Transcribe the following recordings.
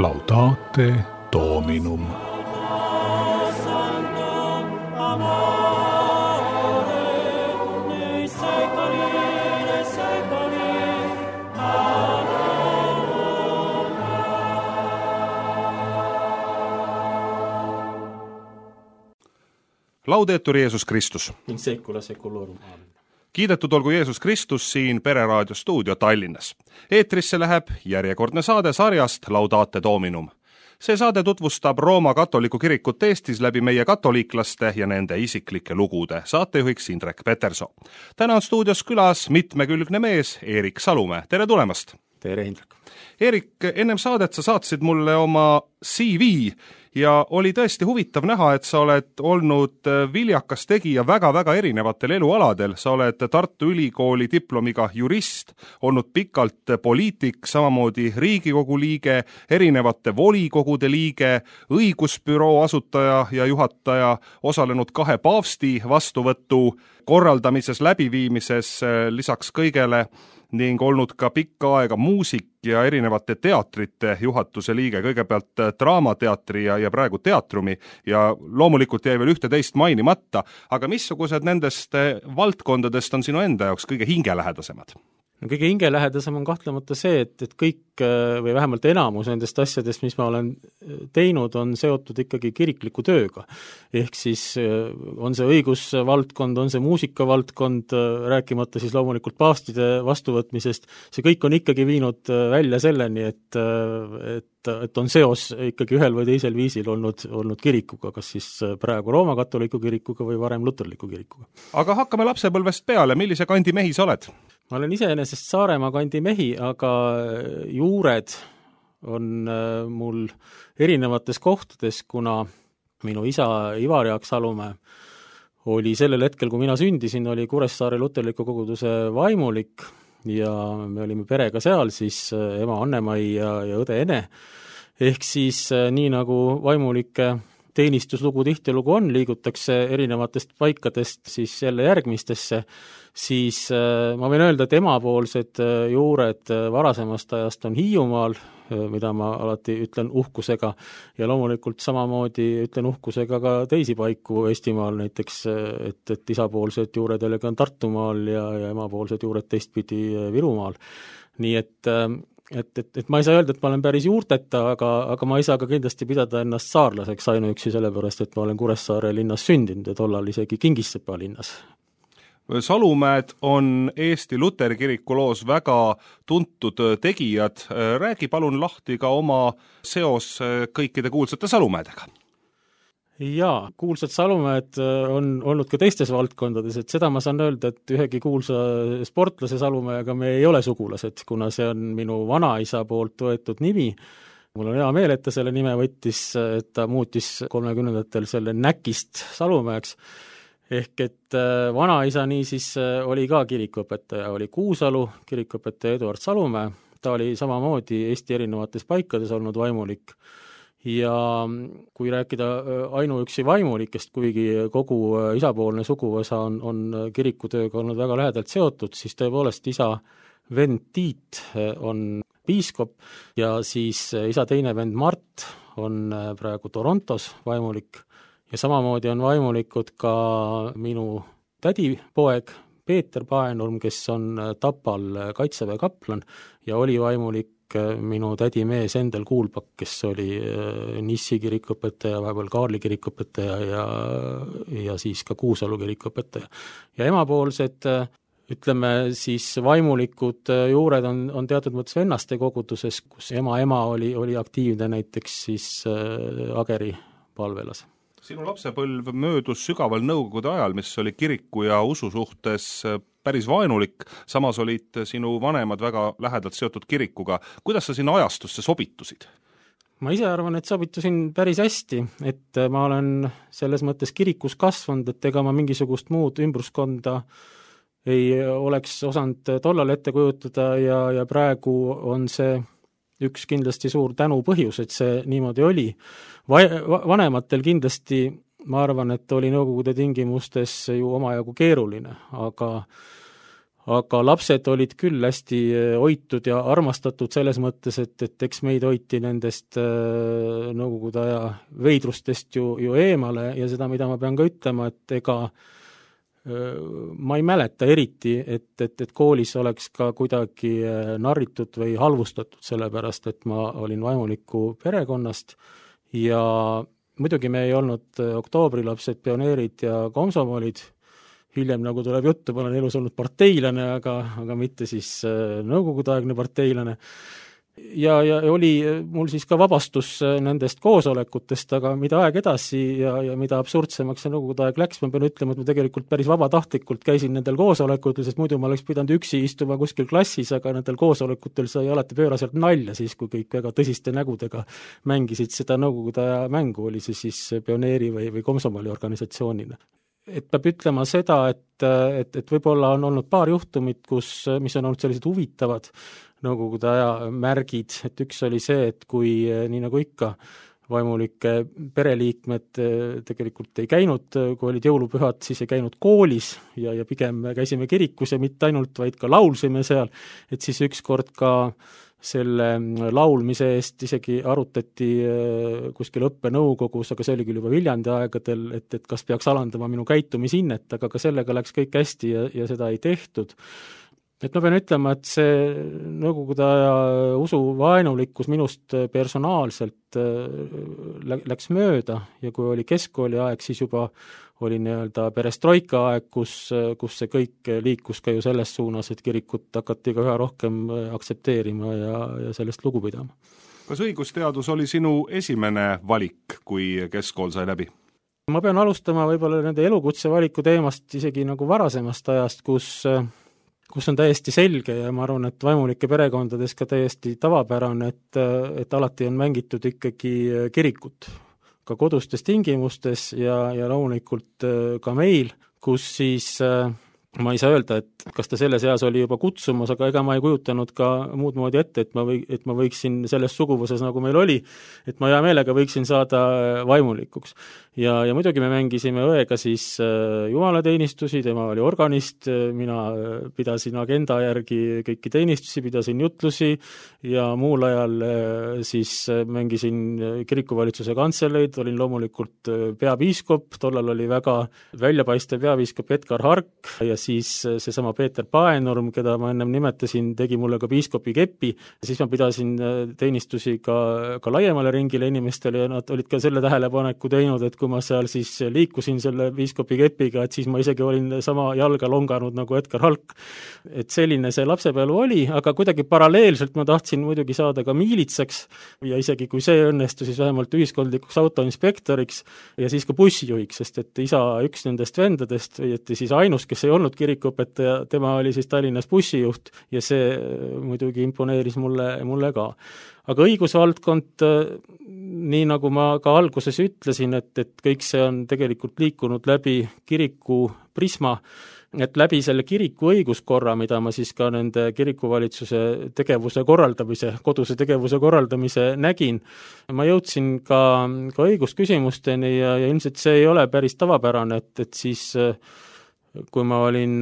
Laudate Dominum. Laudetur Jeesus Kristus. In secula seculorum. Kiidetud olgu Jeesus Kristus siin Pereraadio stuudio Tallinnas. Eetrisse läheb järjekordne saade sarjast Laudate Dominum. See saade tutvustab Rooma katoliku kirikut Eestis läbi meie katoliiklaste ja nende isiklike lugude. Saatejuhiks Indrek Peterson. Täna on stuudios külas mitmekülgne mees Erik Salumäe. Tere tulemast! Tere, Indrek! Erik, ennem saadet sa saatsid mulle oma CV ja oli tõesti huvitav näha, et sa oled olnud viljakas tegija väga-väga erinevatel elualadel. Sa oled Tartu Ülikooli diplomiga jurist, olnud pikalt poliitik, samamoodi Riigikogu liige, erinevate volikogude liige, õigusbüroo asutaja ja juhataja, osalenud 2 paavsti vastuvõtu korraldamises, läbiviimises, lisaks kõigele ning olnud ka pikka aega muusik ja erinevate teatrite juhatuse liige, kõigepealt Draamateatri ja praegu Teatrumi ja loomulikult jäi veel 11 mainimata, aga missugused nendest valdkondadest on sinu enda jaoks kõige hingelähedasemad? Kõige hingelähedasem on kahtlemata see, et kõik või vähemalt enamus nendest asjadest, mis ma olen teinud, on seotud ikkagi kirikliku tööga. Ehk siis on see õigusvaldkond, on see muusikavaldkond, rääkimata siis loomulikult paavstide vastuvõtmisest, see kõik on ikkagi viinud välja selleni, et on seos ikkagi ühel või teisel viisil olnud kirikuga, kas siis praegu Rooma katoliku kirikuga või varem luterliku kirikuga. Aga hakkame lapsepõlvest peale, millise kandi mehi sa oled? Ma olen iseenesest Saaremaa kandi mehi, aga juured on mul erinevates kohtades, kuna minu isa Ivar Jaak Salumäe oli sellel hetkel, kui mina sündisin, oli Kuressaare luterliku koguduse vaimulik ja me olime perega seal, siis ema Anne-Mai ja õde Ene. Ehk siis nii nagu vaimulike teenistuslugu tihtilugu on, liigutakse erinevatest paikadest siis jälle järgmistesse, siis ma võin öelda, et emapoolsed juured varasemast ajast on Hiiumaal, mida ma alati ütlen uhkusega, ja loomulikult samamoodi ütlen uhkusega ka teisi paiku Eestimaal, näiteks, et isapoolsed juured jällegi on Tartumaal ja emapoolsed juured teistpidi Virumaal. Nii et ma ei saa öelda, et ma olen päris juurteta, aga ma ei saa ka kindlasti pidada ennast saarlaseks ainuüksi sellepärast, et ma olen Kuressaare linnas sündinud ja tollal isegi Kingissepa linnas. Salumäed on Eesti Luteri kiriku loos väga tuntud tegijad. Räägi palun lahti ka oma seos kõikide kuulsate Salumäedega. Jaa, kuulsad Salumäed on olnud ka teistes valdkondades, et seda ma saan öelda, et ühegi kuulsa sportlase Salumäega me ei ole sugulased, kuna see on minu vanaisa poolt võetud nimi. Mul on hea meel, et ta selle nime võttis, et ta muutis 30-ndatel selle Näkist Salumäeks. Ehk et vanaisa niisiis oli ka kirikuõpetaja, oli Kuusalu kirikuõpetaja Eduard Salumäe, ta oli samamoodi Eesti erinevates paikades olnud vaimulik. Ja kui rääkida ainuüksi vaimulikest, kuigi kogu isapoolne suguvõsa on kirikutööga olnud väga lähedalt seotud, siis tõepoolest isa vend Tiit on piiskop ja siis isa teine vend Mart on praegu Torontos vaimulik ja samamoodi on vaimulikud ka minu tädipoeg Peeter Paenurm, kes on Tapal kaitseväe kaplan ja oli vaimulik minu tädimees Endel Kuulpak, kes oli Nissi kirikuõpetaja, vahepeal Kaarli kirikuõpetaja ja siis ka Kuusalu kirikuõpetaja. Ja emapoolsed, ütleme siis vaimulikud juured on teatud mõttes vennaste koguduses, kus ema oli aktiivne näiteks siis Ageri palvelas. Sinu lapsepõlv möödus sügaval nõukogude ajal, mis oli kiriku ja usu suhtes päris vaenulik, samas olid sinu vanemad väga lähedalt seotud kirikuga. Kuidas sa sinna ajastusse sobitusid? Ma ise arvan, et sobitusin päris hästi, et ma olen selles mõttes kirikus kasvanud, et ega ma mingisugust muud ümbruskonda ei oleks osanud tollal ette kujutada ja praegu on see üks kindlasti suur tänu põhjus, et see niimoodi oli. Vanematel kindlasti, ma arvan, et oli nõukogude tingimustes ju omajagu keeruline, aga lapsed olid küll hästi hoitud ja armastatud selles mõttes, et eks meid hoiti nendest Nõukogude aja veidrustest ju eemale ja seda, mida ma pean ka ütlema, et ega ma ei mäleta eriti, et koolis oleks ka kuidagi narritud või halvustatud, sellepärast et ma olin vaimuliku perekonnast ja muidugi me ei olnud oktoobrilapsed, pioneerid ja komsomolid. Hiljem, nagu tuleb juttu, ma olen elus olnud parteilane, aga mitte siis nõukogudeaegne parteilane. Ja oli mul siis ka vabastus nendest koosolekutest, aga mida aeg edasi ja mida absurdsemaks see nõukogude aeg läks, ma pean ütlema, et ma tegelikult päris vabatahtlikult käisin nendel koosolekutel, sest muidu ma oleks pidanud üksi istuma kuskil klassis, aga nendel koosolekutel sai alati pööraselt nalja siis, kui kõik väga tõsiste nägudega mängisid seda nõukogude aja mängu, oli see siis pioneeri või komsomoli organisatsioonina. Et peab ütlema seda, et võib-olla on olnud paar juhtumit, mis on olnud sellised huvitavad nõukogude aja märgid, et üks oli see, et kui nii nagu ikka vaimulike pereliikmed tegelikult ei käinud, kui olid jõulupühad, siis ei käinud koolis ja pigem käisime kirikus ja mitte ainult, vaid ka laulsime seal, et siis ükskord ka selle laulmise eest isegi arutati kuskil õppenõukogus, aga see oli küll juba Viljandi aegadel, et kas peaks alandama minu käitumisinnet, aga ka sellega läks kõik hästi ja seda ei tehtud. Et ma pean ütlema, et see nõukogude aja usuvaenulikkus minust personaalselt läks mööda ja kui oli keskkooli aeg, siis juba oli nii-öelda perestroika aeg, kus see kõik liikus ka ju selles suunas, et kirikut hakati ka üha rohkem aktsepteerima ja sellest lugu pidama. Kas õigusteadus oli sinu esimene valik, kui keskkool sai läbi? Ma pean alustama võib-olla nende elukutse valiku teemast isegi nagu varasemast ajast, kus on täiesti selge ja ma arvan, et vaimulike perekondades ka täiesti tavapärane, et alati on mängitud ikkagi kirikut, ka kodustes tingimustes ja loomulikult ka meil, kus siis ma ei saa öelda, et kas ta selles eas oli juba kutsumas, aga ega ma ei kujutanud ka muud moodi ette, et ma võiksin selles suguvõses, nagu meil oli, et ma hea meelega võiksin saada vaimulikuks. Ja muidugi me mängisime õega siis jumalateenistusi, tema oli organist, mina pidasin agenda järgi kõiki teenistusi, pidasin jutlusi ja muul ajal siis mängisin kirikuvalitsuse kantseleid, olin loomulikult peapiiskop, tollal oli väga väljapaistev peapiiskop Edgar Hark ja siis seesama Peeter Paenurm, keda ma ennem nimetasin, tegi mulle ka piiskopi kepi, siis ma pidasin teenistusi ka laiemale ringile inimestele ja nad olid ka selle tähelepaneku teinud, et kui ma seal siis liikusin selle piiskopi kepiga, et siis ma isegi olin sama jalga longanud nagu Edgar Halk. Et selline see lapsepõlv oli, aga kuidagi paralleelselt ma tahtsin muidugi saada ka miilitsaks ja isegi kui see õnnestus, siis vähemalt ühiskondlikuks autoinspektoriks ja siis ka bussijuhiks, sest et isa üks nendest vendadest, õieti siis ainus, kes ei olnud kirikuõpetaja, tema oli siis Tallinnas bussijuht ja see muidugi imponeeris mulle ka. Aga õigusvaldkond, nii nagu ma ka alguses ütlesin, et kõik see on tegelikult liikunud läbi kiriku prisma, et läbi selle kiriku õiguskorra, mida ma siis ka nende kirikuvalitsuse tegevuse korraldamise, koduse tegevuse korraldamise nägin, ma jõudsin ka õigusküsimusteni ja ilmselt see ei ole päris tavapärane, et siis kui ma olin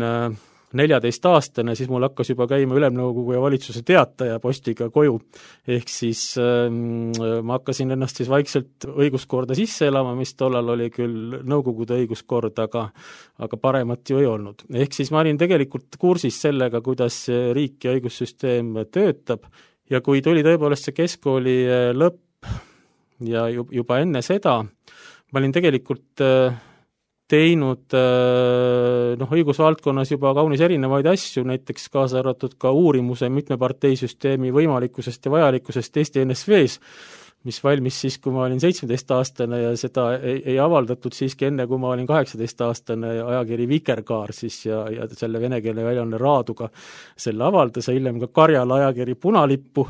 14-aastane, siis mul hakkas juba käima ülemnõukogu ja valitsuse teataja postiga koju. Ehk siis ma hakkasin ennast siis vaikselt õiguskorda sisse elama, mis tollal oli küll nõukogude õiguskord, aga paremat ju ei olnud. Ehk siis ma olin tegelikult kursis sellega, kuidas riik ja õigussüsteem töötab ja kui tuli tõepoolest see keskkooli lõpp ja juba enne seda, ma olin tegelikult teinud õigusvaldkonnas juba kaunis erinevaid asju, näiteks kaasa arvatud ka uurimuse mitmeparteisüsteemi võimalikkusest ja vajalikkusest Eesti NSV-s, mis valmis siis, kui ma olin 17-aastane ja seda ei avaldatud siiski enne, kui ma olin 18-aastane ajakiri Vikerkaar siis ja selle venekeelne väljaanne Raaduga selle avaldas ja hiljem ka Karjala ajakiri Punalippu.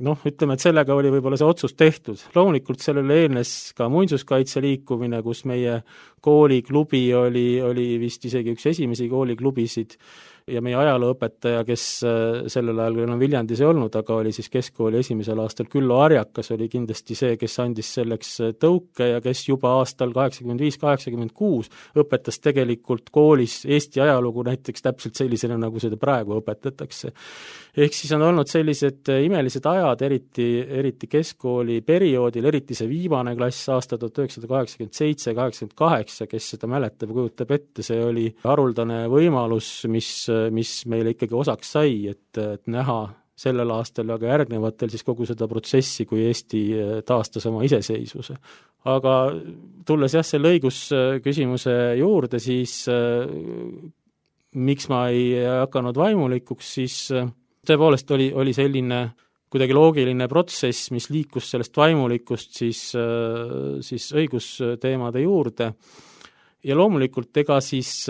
Ütleme, et sellega oli võib-olla see otsus tehtud. Loomulikult sellele eelnes ka muinsuskaitse liikumine, kus meie kooliklubi oli vist isegi üks esimesi kooliklubisid ja meie ajalooõpetaja, kes sellel ajal enam Viljandis ei olnud, aga oli siis keskkooli esimesel aastal Küllo Arjakas, oli kindlasti see, kes andis selleks tõuke ja kes juba aastal 85-86 õpetas tegelikult koolis Eesti ajalugu näiteks täpselt sellisena, nagu seda praegu õpetatakse. Ehk siis on olnud sellised imelised ajad, eriti keskkooli perioodil, eriti see viimane klass aasta 1987-88, kes seda mäletab ja kujutab ette, see oli haruldane võimalus, mis meile ikkagi osaks sai, et näha sellel aastal ja ka järgnevatel siis kogu seda protsessi, kui Eesti taastas oma iseseisvuse. Aga tulles selle õigusküsimuse juurde, siis miks ma ei hakanud vaimulikuks, siis tõepoolest oli selline kuidagi loogiline protsess, mis liikus sellest vaimulikust siis õigusteemade juurde. Ja loomulikult ega siis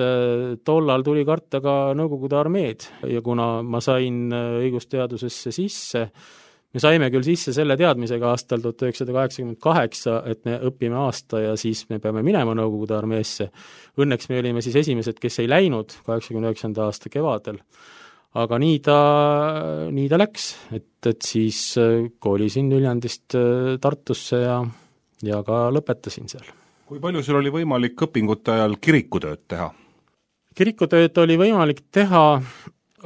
tollal tuli karta ka Nõukogude armeed ja kuna ma sain õigusteadusesse sisse, me saime küll sisse selle teadmisega aastal 1988, et me õpime aasta ja siis me peame minema Nõukogude armeesse. Õnneks me olime siis esimesed, kes ei läinud 89. aasta kevadel. Aga nii ta läks, et siis kolisin Viljandist Tartusse ja ka lõpetasin seal. Kui palju sul oli võimalik õpingute ajal kirikutööd teha? Kirikutööd oli võimalik teha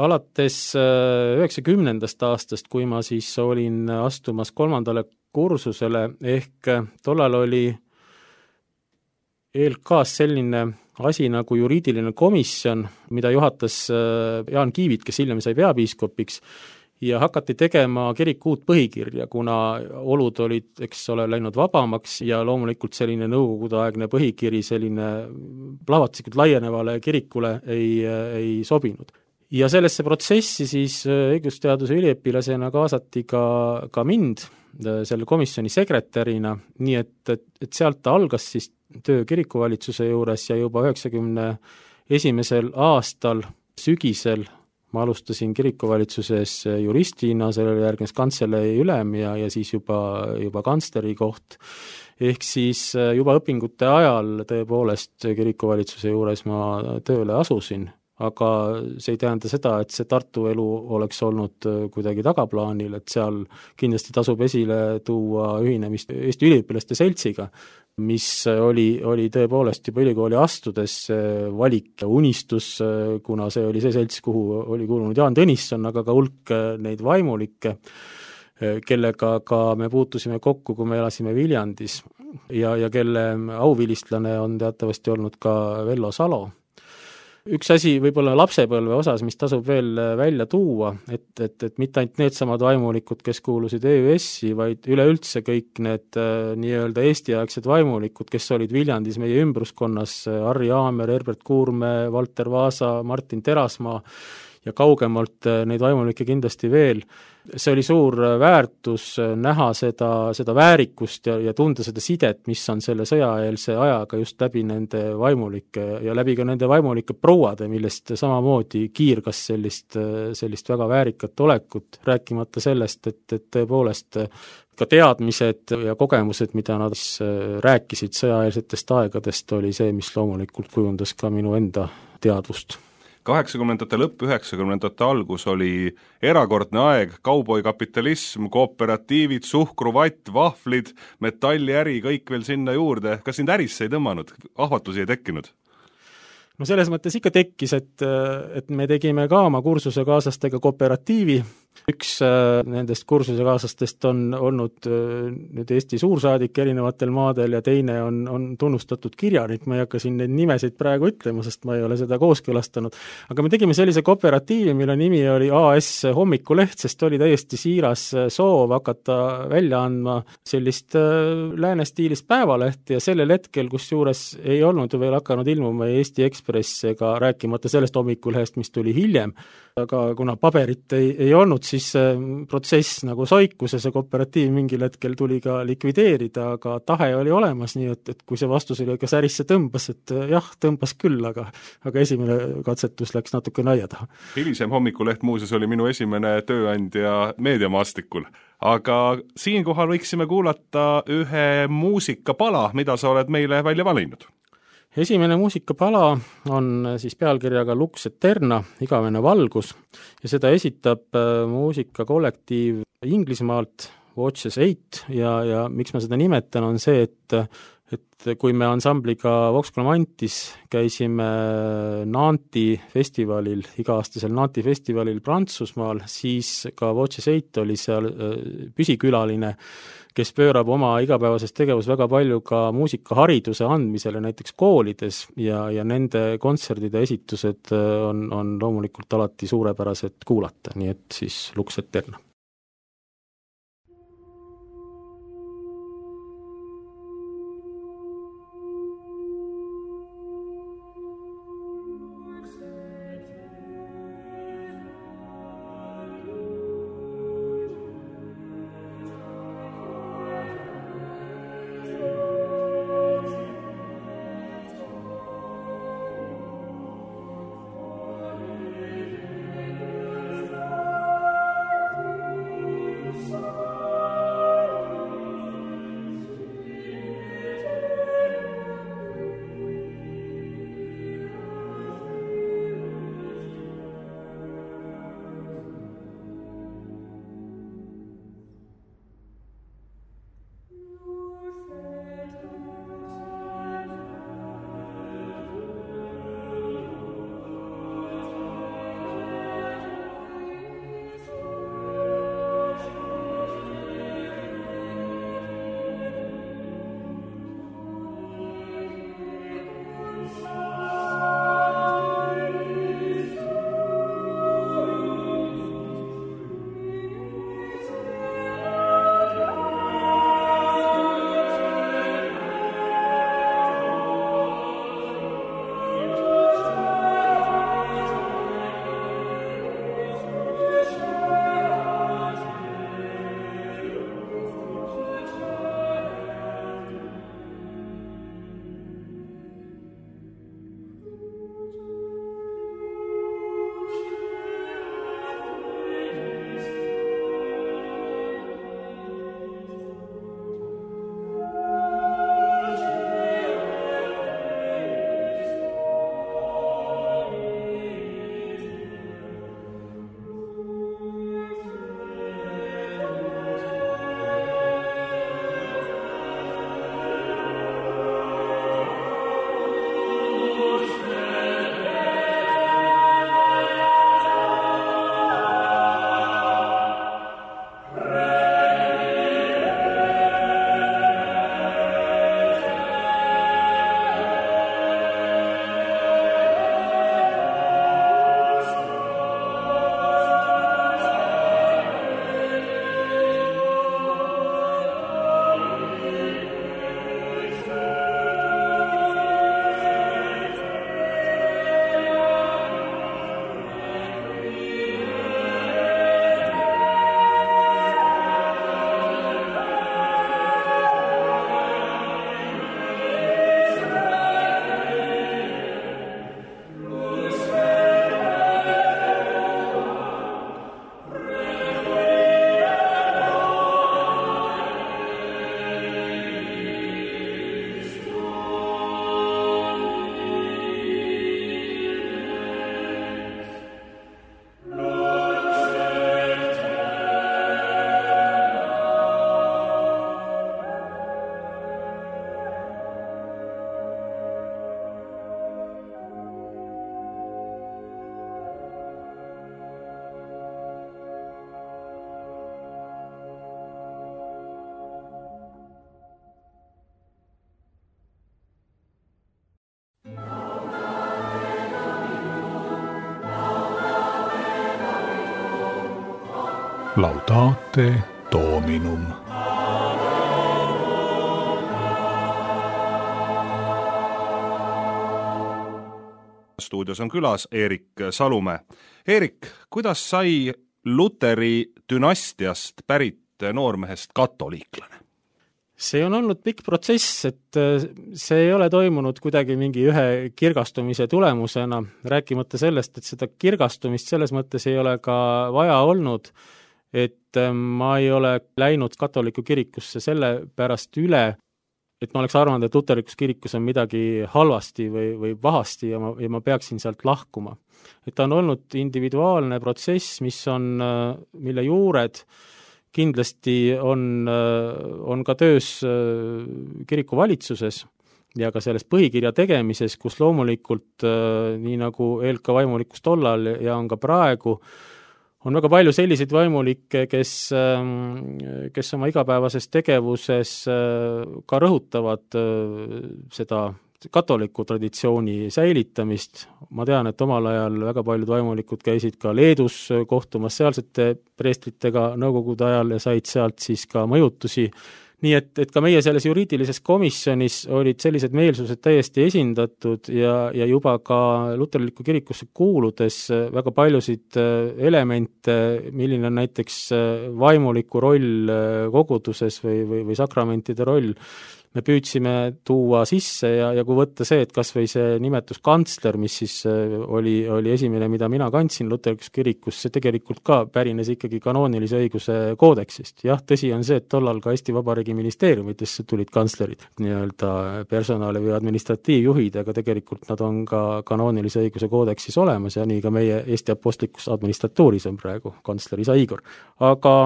alates 90. aastast, kui ma siis olin astumas 3. kursusele, ehk tollal oli ELK-s selline asi nagu juriidiline komisjon, mida juhatas Jaan Kiivit, kes hiljem sai peapiiskopiks, ja hakati tegema kiriku uut põhikirja, kuna olud olid, eks ole, läinud vabamaks ja loomulikult selline nõukogudeaegne põhikiri selline plahvatuslikult laienevale kirikule ei sobinud. Ja sellesse protsessi siis õigusteaduse üliõpilasena kaasati ka mind selle komisjoni sekretärina, nii et sealt ta algas siis töö kirikuvalitsuse juures ja juba 91. aastal sügisel ma alustasin kirikuvalitsuses juristina, sellele järgnes kantselei ülem ja siis juba kantsleri koht. Ehk siis juba õpingute ajal tõepoolest kirikuvalitsuse juures ma tööle asusin, aga see ei tähenda seda, et see Tartu elu oleks olnud kuidagi tagaplaanil, et seal kindlasti tasub esile tuua ühinemist Eesti üliõpilaste seltsiga, mis oli tõepoolest juba ülikooli astudes valik ja unistus, kuna see oli see selts, kuhu oli kuulunud Jaan Tõnisson, aga ka hulk neid vaimulikke, kellega ka me puutusime kokku, kui me elasime Viljandis ja kelle auvilistlane on teatavasti olnud ka Vello Salo. Üks asi võib-olla lapsepõlve osas, mis tasub veel välja tuua, et mitte ainult needsamad vaimulikud, kes kuulusid EÜS-i, vaid üleüldse kõik need nii-öelda Eesti-aegsed vaimulikud, kes olid Viljandis meie ümbruskonnas, Harri Aamer, Herbert Kuurme, Valter Vaasa, Martin Terasmaa ja kaugemalt neid vaimulikke kindlasti veel. See oli suur väärtus näha seda väärikust ja tunda seda sidet, mis on selle sõjaeelse ajaga just läbi nende vaimulike ja läbi ka nende vaimulike prouade, millest samamoodi kiirgas sellist väga väärikat olekut, rääkimata sellest, et tõepoolest ka teadmised ja kogemused, mida nad rääkisid sõjaeelsetest aegadest, oli see, mis loomulikult kujundas ka minu enda teadvust. 80. lõpp, 90. algus oli erakordne aeg, kauboikapitalism, kooperatiivid, suhkruvatt, vahvlid, metalliäri, kõik veel sinna juurde. Kas sind ärisse ei tõmmanud? Ahvatlusi ei tekkinud? No selles mõttes ikka tekkis, et me tegime ka oma kursusekaaslastega kooperatiivi. Üks nendest kursusekaaslastest on olnud nüüd Eesti suursaadik erinevatel maadel ja teine on tunnustatud kirjanik, ma ei hakka siin neid nimesid praegu ütlema, sest ma ei ole seda kooskõlastanud. Aga me tegime sellise kooperatiivi, mille nimi oli AS Hommikuleht, sest oli täiesti siiras soov hakata välja andma sellist lääne stiilis päevalehti ja sellel hetkel, kus juures ei olnud veel hakanud ilmuma Eesti Ekspress ega rääkimata sellest Hommikulehest, mis tuli hiljem, aga kuna paberit ei olnud, siis protsess nagu soikus ja see kooperatiiv mingil hetkel tuli ka likvideerida, aga tahe oli olemas, nii et kui see vastus oli, kas ärisse tõmbas, et jah, tõmbas küll, aga esimene katsetus läks natuke naia taha. Hilisem Hommikuleht muuseas oli minu esimene tööandja meediamaastikul. Aga siinkohal võiksime kuulata ühe muusikapala, mida sa oled meile välja valinud. Esimene muusikapala on siis pealkirjaga Lux Eterna, igavene valgus, ja seda esitab muusikakollektiiv Inglismaalt, Watches 8, ja miks ma seda nimetan, on see, et kui me ansambliga Vox Clamantis käisime Nanti festivalil, iga-aastasel Nanti festivalil Prantsusmaal, siis ka Watches 8 oli seal püsikülaline, kes pöörab oma igapäevases tegevus väga palju ka muusikahariduse andmisele näiteks koolides ja nende kontserdide esitused on loomulikult alati suurepärased kuulata, nii et siis Lux Eterna. Laudate Dominum. Stuudios on külas Eerik Salumäe. Eerik, kuidas sai Luteri dünastiast pärit noormehest katoliiklane? See on olnud pikk protsess, et see ei ole toimunud kuidagi mingi ühe kirgastumise tulemusena, rääkimata sellest, et seda kirgastumist selles mõttes ei ole ka vaja olnud, et ma ei ole läinud katoliku kirikusse selle pärast üle, et ma oleks arvanud, et luterlikus kirikus on midagi halvasti või pahasti ja ma peaksin sealt lahkuma. Et ta on olnud individuaalne protsess, mille juured kindlasti on ka töös kirikuvalitsuses ja ka selles põhikirja tegemises, kus loomulikult nii nagu ELK vaimulikkus tollal ja on ka praegu, on väga palju selliseid vaimulikke, kes oma igapäevases tegevuses ka rõhutavad seda katoliku traditsiooni säilitamist. Ma tean, et omal ajal väga paljud vaimulikud käisid ka Leedus kohtumas sealsete preestritega nõukogude ajal ja said sealt siis ka mõjutusi. Nii et ka meie selles juriidilises komisjonis olid sellised meelsused täiesti esindatud ja juba ka luterlikku kirikusse kuuludes väga paljusid elemente, milline on näiteks vaimuliku roll koguduses või sakramentide roll, me püüdsime tuua sisse ja kui võtta see, et kas või see nimetus kantsler, mis siis oli esimene, mida mina kandsin luterlikus kirikus, see tegelikult ka pärines ikkagi kanoonilise õiguse koodeksist. Jah, tõsi on see, et tollal ka Eesti Vabariigi ministeeriumitesse tulid kantslerid, nii-öelda personali või administratiivjuhid, aga tegelikult nad on ka kanoonilise õiguse koodeksis olemas ja nii ka meie Eesti Apostlikus administratuuris on praegu kantsler Isa Igor. Aga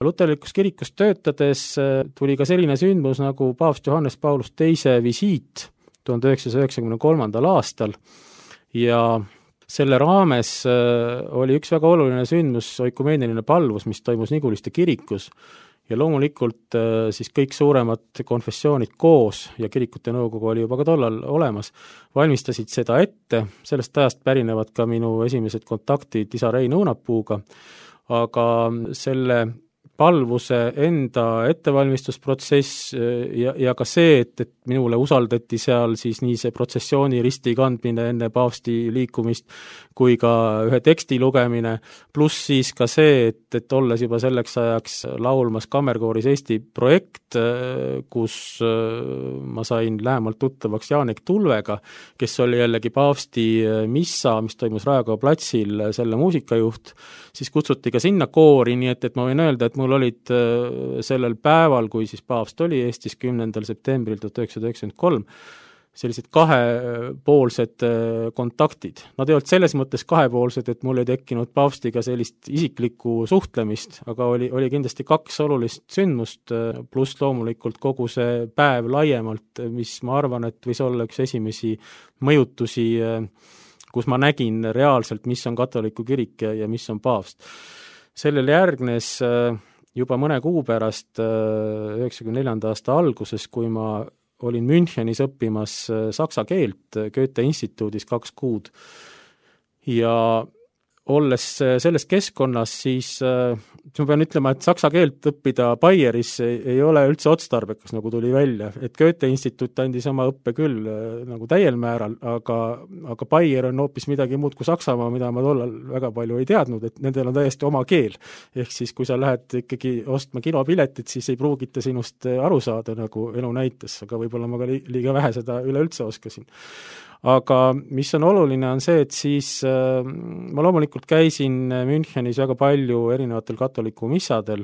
luterlikus kirikus töötades tuli ka selline sündmus nagu paavst Johannes Paulus II visiit 1993. aastal ja selle raames oli üks väga oluline sündmus, oikumeeniline palvus, mis toimus Niguliste kirikus ja loomulikult siis kõik suuremad konfessioonid koos ja kirikute nõukogu oli juba ka tollal olemas, valmistasid seda ette, sellest ajast pärinevad ka minu esimesed kontaktid isa Rein Õunapuuga, aga selle palvuse enda ettevalmistusprotsess ja ka see, et minule usaldati seal siis nii see protsessiooni risti kandmine enne paavsti liikumist kui ka ühe teksti lugemine, pluss siis ka see, et olles juba selleks ajaks laulmas kammerkooris Eesti projekt, kus ma sain lähemalt tuttavaks Jaanek Tulvega, kes oli jällegi paavsti missa, mis toimus Raekoja platsil, selle muusikajuht, siis kutsuti ka sinna koori, nii et ma võin öelda, et mul olid sellel päeval, kui siis paavst oli Eestis 10. septembril 1993, sellised kahepoolsed kontaktid. Nad ei olnud selles mõttes kahepoolsed, et mul ei tekkinud paavstiga sellist isiklikku suhtlemist, aga oli kindlasti kaks olulist sündmust, pluss loomulikult kogu see päev laiemalt, mis ma arvan, et võis olla üks esimesi mõjutusi, kus ma nägin reaalselt, mis on katoliku kirik ja mis on paavst. Sellel järgnes juba mõne kuu pärast 1994. aasta alguses, kui ma olin Münchenis õppimas saksa keelt Goethe instituudis 2 kuud ja olles selles keskkonnas, siis ma pean ütlema, et saksa keelt õppida Baieris ei ole üldse otstarbekas, nagu tuli välja. Et Goethe instituut andis oma õppe küll nagu täiel määral, aga Baier on hoopis midagi muud kui Saksamaa, mida ma tollal väga palju ei teadnud, et nendel on täiesti oma keel. Ehk siis, kui sa lähed ikkagi ostma kinopiletit, siis ei pruugita sinust aru saada, nagu elu näitas, aga võib-olla ma ka liiga vähe seda üleüldse oskasin. Aga mis on oluline, on see, et siis ma loomulikult käisin Münchenis väga palju erinevatel katoliku missadel.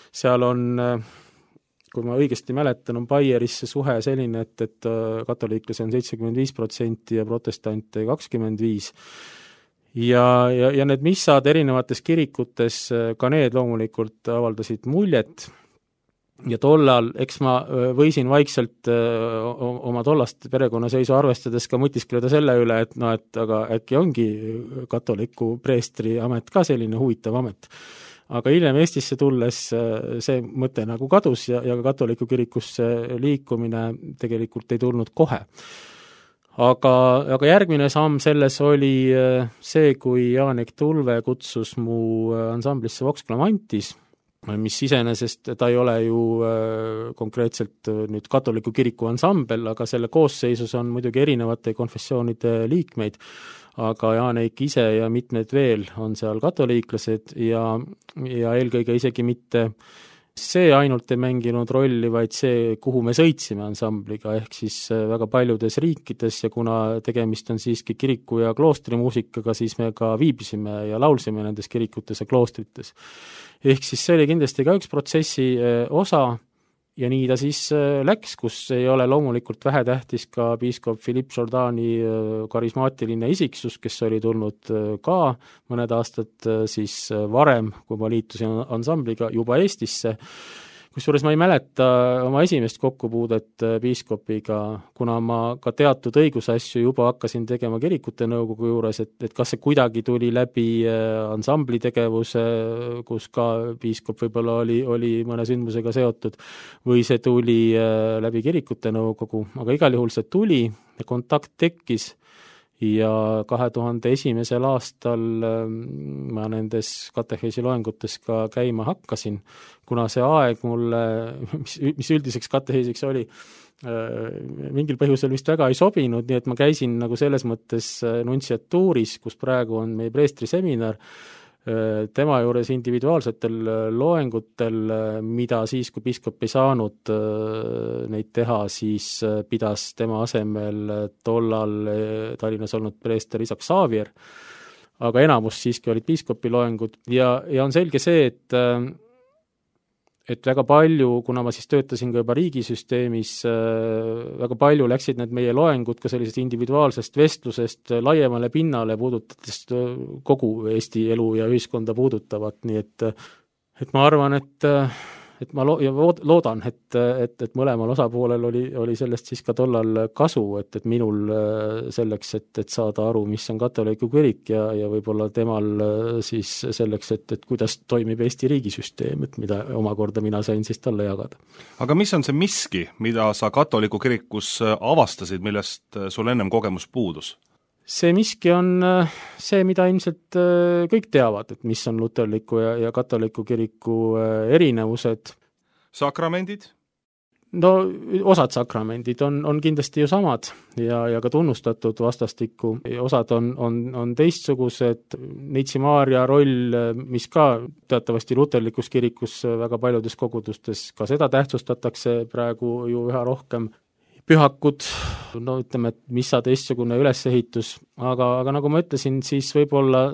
Seal on, kui ma õigesti mäletan, on Baieris see suhe selline, et katoliiklasi on 75% ja protestante 25%. Ja need missad erinevates kirikutes, ka need loomulikult avaldasid muljet. Ja tollal, eks ma võisin vaikselt oma tollast perekonnaseisu arvestades ka mõtiskleda selle üle, et aga äkki ongi katoliku preestri amet ka selline huvitav amet. Aga hiljem Eestisse tulles see mõte nagu kadus ja ka katoliku kirikusse liikumine tegelikult ei tulnud kohe. Aga järgmine samm selles oli see, kui Jaanek Tulve kutsus mu ansamblisse Vox Clamantis, mis iseenesest ta ei ole ju konkreetselt nüüd katoliku kiriku ansambel, aga selle koosseisus on muidugi erinevate konfessioonide liikmeid, aga Jaanek ise ja mitmed veel on seal katoliiklased ja eelkõige isegi mitte see ainult ei mänginud rolli, vaid see, kuhu me sõitsime ansambliga, ehk siis väga paljudes riikides ja kuna tegemist on siiski kiriku ja kloostrimuusikaga, siis me ka viibisime ja laulsime nendes kirikutes ja kloostrites. Ehk siis see oli kindlasti ka üks protsessi osa ja nii ta siis läks, kus ei ole loomulikult vähetähtis ka piiskop Philippe Jourdani karismaatiline isiksus, kes oli tulnud ka mõned aastad siis varem, kui ma liitusin ansambliga juba Eestisse. Kusjuures ma ei mäleta oma esimest kokkupuudet piiskopiga, kuna ma ka teatud õigusasju juba hakkasin tegema kirikute nõukogu juures, et kas see kuidagi tuli läbi ansambli tegevuse, kus ka piiskop võib-olla oli mõne sündmusega seotud, või see tuli läbi kirikute nõukogu, aga igal juhul see tuli ja kontakt tekkis. Ja 2001. aastal ma nendes kateheesi loengutes ka käima hakkasin, kuna see aeg mulle, mis üldiseks kateheesiks oli, mingil põhjusel vist väga ei sobinud, nii et ma käisin nagu selles mõttes nuntsiatuuris, kus praegu on meie preestri seminar, tema juures individuaalsetel loengutel, mida siis, kui piiskop ei saanud neid teha, siis pidas tema asemel tollal Tallinnas olnud preester Isak Saavier, aga enamus siiski olid piiskopi loengud ja on selge see, et väga palju, kuna ma siis töötasin ka juba riigisüsteemis, väga palju läksid need meie loengud ka sellisest individuaalsest vestlusest laiemale pinnale, puudutades kogu Eesti elu ja ühiskonda puudutavat, nii et ma arvan, et ma loodan, et mõlemal osapoolel oli sellest siis ka tollal kasu, et minul selleks, et saada aru, mis on katoliku kirik ja võib-olla temal siis selleks, et kuidas toimib Eesti riigisüsteem, et mida omakorda mina sain siis talle jagada. Aga mis on see miski, mida sa katoliku kirikus avastasid, millest sul ennem kogemus puudus? See miski on see, mida ilmselt kõik teavad, et mis on luterliku ja katoliku kiriku erinevused. Sakramendid? No osad sakramendid on kindlasti ju samad ja ka tunnustatud vastastikku. Osad on teistsugused. Neitsi Maarja roll, mis ka teatavasti luterlikus kirikus väga paljudes kogudustes, ka seda tähtsustatakse praegu ju üha rohkem. Pühakud, no ütleme, et missa teistsugune ülesehitus, aga nagu ma ütlesin, siis võib-olla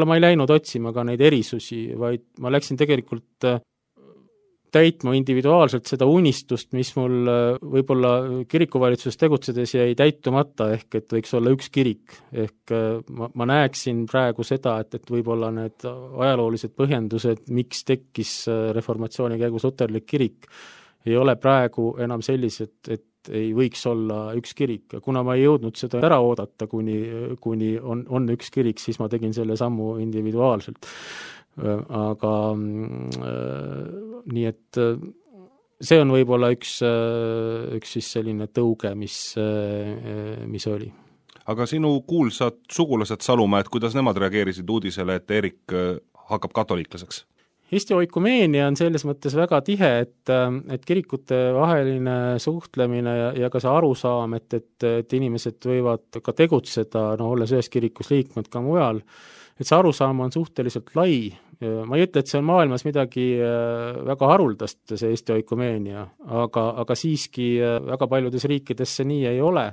ma ei läinud otsima ka neid erisusi, vaid ma läksin tegelikult täitma individuaalselt seda unistust, mis mul võib-olla kirikuvalitsuses tegutsedes jäi täitumata, ehk et võiks olla üks kirik. Ehk ma näeksin praegu seda, et võib-olla need ajaloolised põhjendused, miks tekkis reformatsiooni käigus luterlik kirik, ei ole praegu enam sellised, et ei võiks olla üks kirik. Kuna ma ei jõudnud seda ära oodata, kuni on üks kirik, siis ma tegin selle sammu individuaalselt. Aga nii et see on võib-olla üks siis selline tõuge, mis oli. Aga sinu kuulsad sugulased Salumäed, kuidas nemad reageerisid uudisele, et Erik hakkab katoliiklaseks? Eesti oikumeenia on selles mõttes väga tihe, et kirikute vaheline suhtlemine ja ka see arusaam, et inimesed võivad ka tegutseda, olles ühes kirikus liikmed ka mujal, et see arusaam on suhteliselt lai. Ma ei ütle, et see on maailmas midagi väga haruldast, see Eesti oikumeenia, aga siiski väga paljudes riikides see nii ei ole.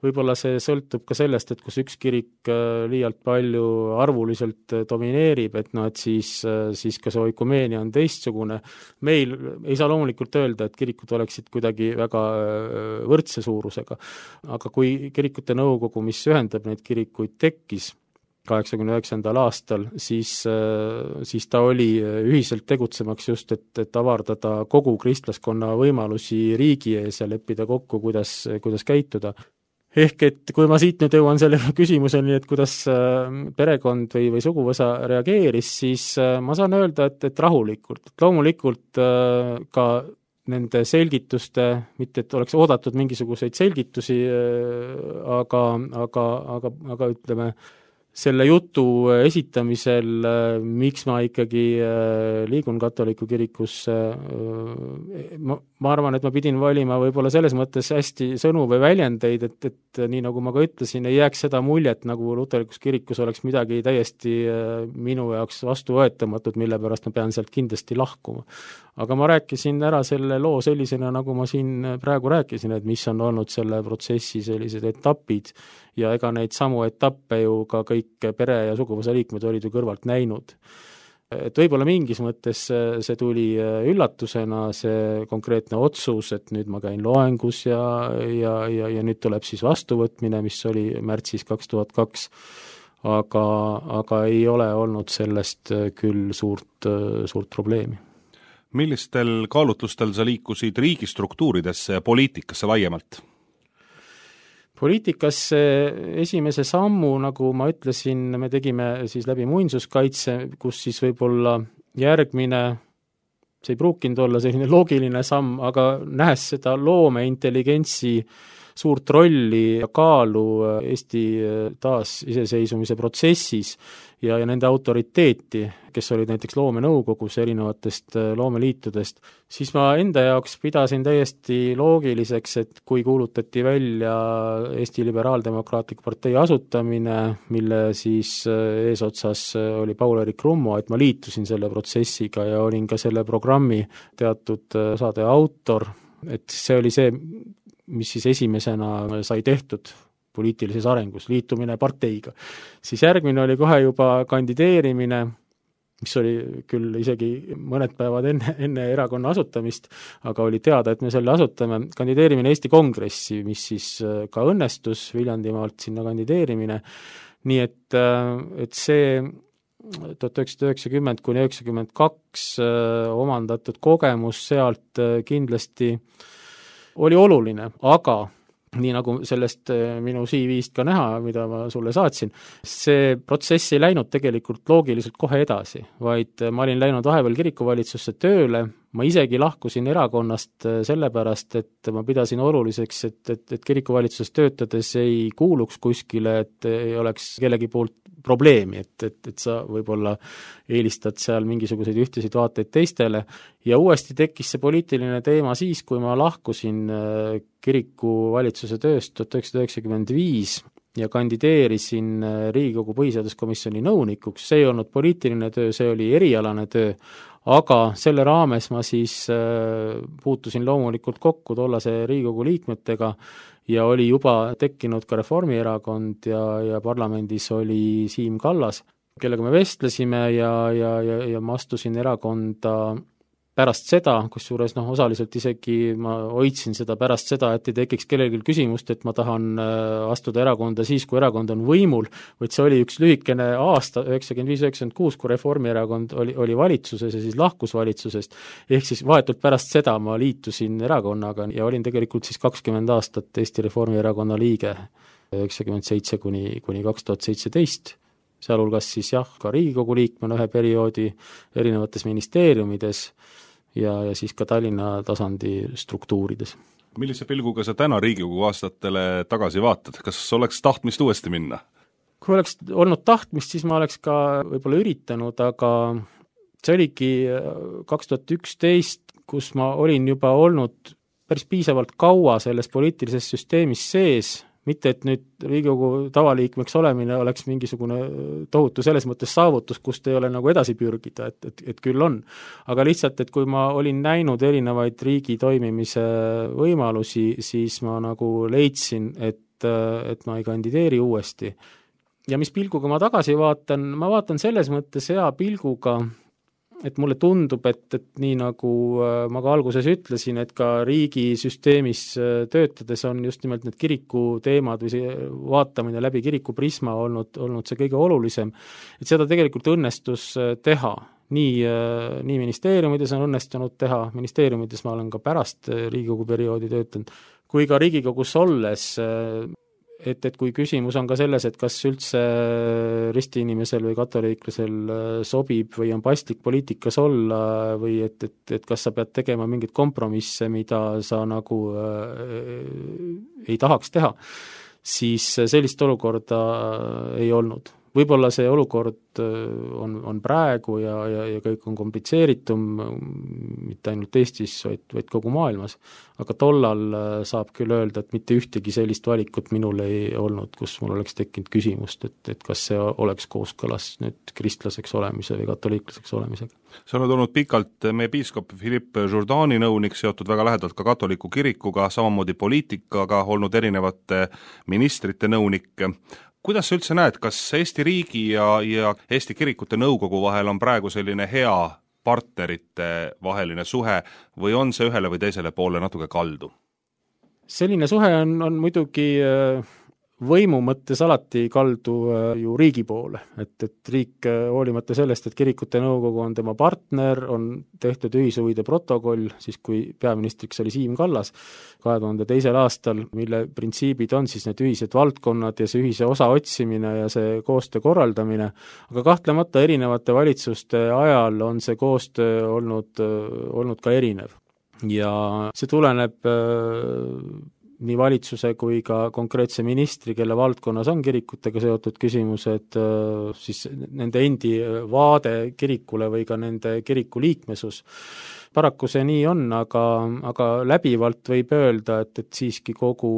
Võib-olla see sõltub ka sellest, et kus üks kirik liialt palju arvuliselt domineerib, et siis ka see oikumeenia on teistsugune. Meil ei saa loomulikult öelda, et kirikud oleksid kuidagi väga võrdse suurusega, aga kui kirikute nõukogu, mis ühendab neid kirikuid, tekkis 89. aastal, siis ta oli ühiselt tegutsemaks just, et avardada kogu kristlaskonna võimalusi riigi ees ja leppida kokku, kuidas käituda. Ehk et kui ma siit nüüd jõuan selle küsimuseni, et kuidas perekond või suguvõsa reageeris, siis ma saan öelda, et rahulikult. Loomulikult ka nende selgituste, mitte et oleks oodatud mingisuguseid selgitusi, aga ütleme, selle jutu esitamisel, miks ma ikkagi liigun katoliku kirikusse, ma arvan, et ma pidin valima võib-olla selles mõttes hästi sõnu või väljendeid, et nii nagu ma ka ütlesin, ei jääks seda muljet, nagu luterlikus kirikus oleks midagi täiesti minu jaoks vastuvõetamatut, mille pärast ma pean sealt kindlasti lahkuma. Aga ma rääkisin ära selle loo sellisena, nagu ma siin praegu rääkisin, et mis on olnud selle protsessi sellised etapid ja ega neid samu etappe ju ka kõik pere- ja suguvõsa liikmed olid ju kõrvalt näinud. et võib-olla mingis mõttes see tuli üllatusena, see konkreetne otsus, et nüüd ma käin loengus ja nüüd tuleb siis vastuvõtmine, mis oli märtsis 2002, aga ei ole olnud sellest küll suurt probleemi. Millistel kaalutlustel sa liikusid riigistruktuuridesse ja poliitikasse laiemalt? Poliitikasse esimese sammu, nagu ma ütlesin, me tegime siis läbi muinsuskaitse, kus siis võib-olla järgmine, see ei pruukinud olla selline loogiline samm, aga nähes seda loomeintelligentsi suurt rolli ja kaalu Eesti taasiseseisvumise protsessis ja nende autoriteeti, kes olid näiteks loomenõukogus erinevatest loomeliitudest, siis ma enda jaoks pidasin täiesti loogiliseks, et kui kuulutati välja Eesti Liberaaldemokraatliku partei asutamine, mille siis eesotsas oli Paul-Eerik Rummo, et ma liitusin selle protsessiga ja olin ka selle programmi teatud osade autor, et see oli see, mis siis esimesena sai tehtud poliitilises arengus, liitumine parteiga. Siis järgmine oli kohe juba kandideerimine, mis oli küll isegi mõned päevad enne erakonna asutamist, aga oli teada, et me selle asutame, kandideerimine Eesti Kongressi, mis siis ka õnnestus, Viljandimaalt sinna kandideerimine, nii et see 1990–1992 omandatud kogemus sealt kindlasti oli oluline, aga nii nagu sellest minu CV-st ka näha, mida ma sulle saatsin, see protsess ei läinud tegelikult loogiliselt kohe edasi, vaid ma olin läinud vahepeal kirikuvalitsusse tööle, ma isegi lahkusin erakonnast sellepärast, et ma pidasin oluliseks, et kirikuvalitsuses töötades ei kuuluks kuskile, et ei oleks kellegi poolt probleemi, et sa võib-olla eelistad seal mingisuguseid ühtesid vaateid teistele ja uuesti tekkis see poliitiline teema siis, kui ma lahkusin kirikuvalitsuse tööst 1995 ja kandideerisin Riigikogu põhiseaduskomisjoni nõunikuks, see ei olnud poliitiline töö, see oli erialane töö, aga selle raames ma siis puutusin loomulikult kokku tollase Riigikogu liikmetega ja oli juba tekkinud ka Reformierakond ja parlamendis oli Siim Kallas, kellega me vestlesime ja ma astusin erakonda pärast seda, kusjuures osaliselt isegi ma hoidsin seda pärast seda, et ei tekiks kellelgi küsimust, et ma tahan astuda erakonda siis, kui erakond on võimul, vaid see oli üks lühikene aasta, 95-96, kui Reformierakond oli valitsuses ja siis lahkus valitsusest, ehk siis vahetult pärast seda ma liitusin erakonnaga ja olin tegelikult siis 20 aastat Eesti Reformierakonna liige, 97 kuni 2017, sealhulgas siis ka Riigikogu liikmena ühe perioodi erinevates ministeeriumides ja siis ka Tallinna tasandi struktuurides. Millise pilguga sa täna Riigikogu aastatele tagasi vaatad? Kas oleks tahtmist uuesti minna? Kui oleks olnud tahtmist, siis ma oleks ka võib-olla üritanud, aga see oligi 2011, kus ma olin juba olnud päris piisavalt kaua selles poliitilises süsteemis sees, mitte et nüüd Riigikogu tavaliikmeks olemine oleks mingisugune tohutu selles mõttes saavutus, kust ei ole nagu edasi pürgida, et küll on. Aga lihtsalt, et kui ma olin näinud erinevaid riigi toimimise võimalusi, siis ma nagu leidsin, et ma ei kandideeri uuesti. Ja mis pilguga ma tagasi vaatan, ma vaatan selles mõttes hea pilguga, et mulle tundub, et nii nagu ma ka alguses ütlesin, et ka riigisüsteemis töötades on just nimelt need kiriku teemad või see vaatamine läbi kiriku prisma olnud see kõige olulisem, et seda tegelikult õnnestus teha. Nii ministeeriumides on õnnestunud teha, ministeeriumides ma olen ka pärast Riigikogu perioodi töötanud, kui ka Riigikogus olles, et kui küsimus on ka selles, et kas üldse ristiinimesel või katoliiklasel sobib või on paslik poliitikas olla või et kas sa pead tegema mingeid kompromisse, mida sa nagu ei tahaks teha, siis sellist olukorda ei olnud. Võib-olla see olukord on praegu ja kõik on komplitseeritum, mitte ainult Eestis, vaid kogu maailmas. Aga tollal saab küll öelda, et mitte ühtegi sellist valikut minul ei olnud, kus mul oleks tekkinud küsimust, et kas see oleks kooskõlas nüüd kristlaseks olemise või katoliiklaseks olemisega. Sa oled olnud pikalt meie piiskop Philippe Jourdani nõunik, seotud väga lähedalt ka katoliku kirikuga, samamoodi poliitikaga, olnud erinevate ministrite nõunik. kuidas sa üldse näed, kas Eesti riigi ja Eesti kirikute nõukogu vahel on praegu selline hea partnerite vaheline suhe või on see ühele või teisele poole natuke kaldu? Selline suhe on muidugi võimu mõttes alati kaldu ju riigi poole, et riik hoolimata sellest, et kirikute nõukogu on tema partner, on tehtud ühishuvide protokoll, siis kui peaministriks oli Siim Kallas 2002. aastal, mille printsiibid on siis need ühised valdkonnad ja see ühise osa otsimine ja see koostöö korraldamine, aga kahtlemata erinevate valitsuste ajal on see koostöö olnud ka erinev. Ja see tuleneb nii valitsuse kui ka konkreetse ministri, kelle valdkonnas on kirikutega seotud küsimused, siis nende endi vaade kirikule või ka nende kiriku liikmesus. Paraku see nii on, aga läbivalt võib öelda, et siiski kogu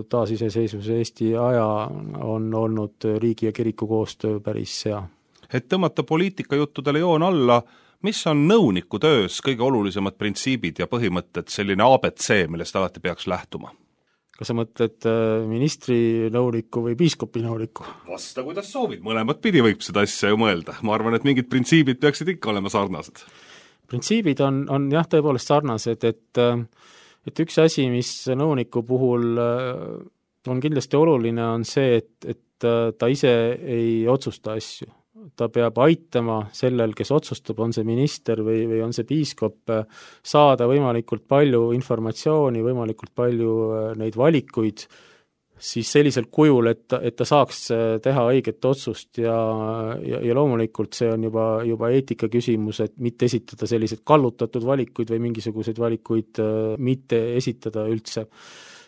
taasiseseisvuse Eesti aja on olnud riigi ja kiriku koostöö päris hea. Et tõmmata poliitikajuttudele joon alla, mis on nõuniku töös kõige olulisemad printsiibid ja põhimõtted, selline ABC, millest alati peaks lähtuma? Kas sa mõtled ministri nõuniku või piiskopi nõuniku? Vasta, kuidas soovid, mõlemat pidi võib seda asja ju mõelda. Ma arvan, et mingid printsiibid peaksid ikka olema sarnased. Printsiibid on jah, tõepoolest sarnased, et üks asi, mis nõuniku puhul on kindlasti oluline, on see, et ta ise ei otsusta asju. Ta peab aitama sellel, kes otsustab, on see minister või on see piiskop, saada võimalikult palju informatsiooni, võimalikult palju neid valikuid, siis sellisel kujul, et ta saaks teha õiget otsust ja loomulikult see on juba eetika küsimus, et mitte esitada sellised kallutatud valikuid või mingisuguseid valikuid mitte esitada üldse.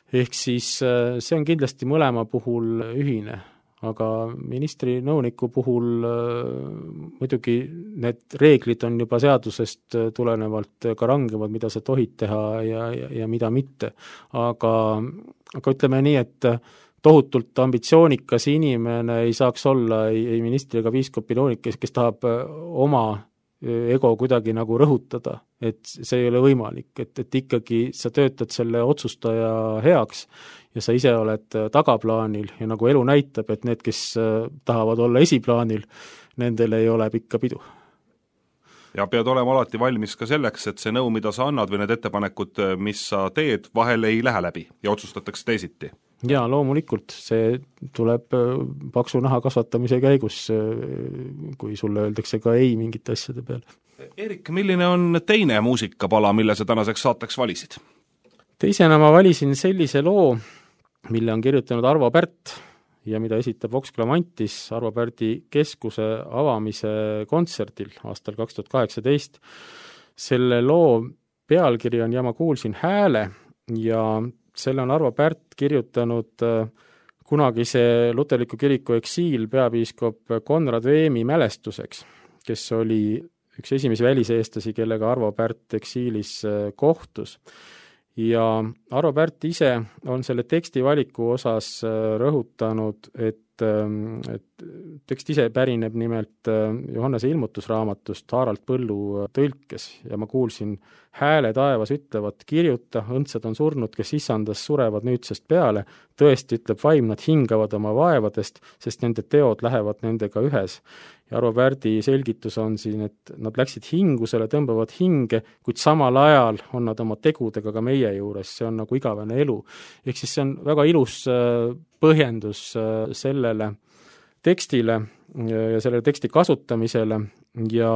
Ehk siis see on kindlasti mõlema puhul ühine. Aga ministri nõuniku puhul muidugi need reeglid on juba seadusest tulenevalt ka rangemad, mida sa tohid teha ja mida mitte. Aga ütleme nii, et tohutult ambitsioonikas inimene ei saaks olla ei ministri ega piiskopi nõunik, kes tahab oma ego kuidagi nagu rõhutada, et see ei ole võimalik, et ikkagi sa töötad selle otsustaja heaks ja sa ise oled tagaplaanil ja nagu elu näitab, et need, kes tahavad olla esiplaanil, nendel ei ole pikka pidu. Ja pead olema alati valmis ka selleks, et see nõu, mida sa annad või need ettepanekud, mis sa teed, vahel ei lähe läbi ja otsustatakse teisiti. Jaa, loomulikult, see tuleb paksu naha kasvatamise käigus, kui sulle öeldakse ka ei mingite asjade peale. Erik, milline on teine muusikapala, mille sa tänaseks saateks valisid? Teisena ma valisin sellise loo, mille on kirjutanud Arvo Pärt ja mida esitab Vox Clamantis Arvo Pärdi keskuse avamise kontserdil aastal 2018. Selle loo pealkiri on Ja ma kuulsin hääle ja selle on Arvo Pärt kirjutanud kunagise luterliku kiriku eksiil peapiiskop Konrad Veemi mälestuseks, kes oli üks esimesi väliseestlasi, kellega Arvo Pärt eksiilis kohtus. Ja Arvo Pärt ise on selle teksti valiku osas rõhutanud, et tekst ise pärineb nimelt Johannese ilmutusraamatust Harald Põllu tõlkes ja ma kuulsin hääle taevas ütlevat, kirjuta, õndsad on surnud, kes issandas surevad nüüdsest peale, tõesti ütleb vaim, nad hingavad oma vaevadest, sest nende teod lähevad nendega ühes. Ja Arvo Pärdi selgitus on siin, et nad läksid hingusele, tõmbavad hinge, kuid samal ajal on nad oma tegudega ka meie juures, see on nagu igavene elu. Ehk siis see on väga ilus põhjendus sellele tekstile ja selle teksti kasutamisele ja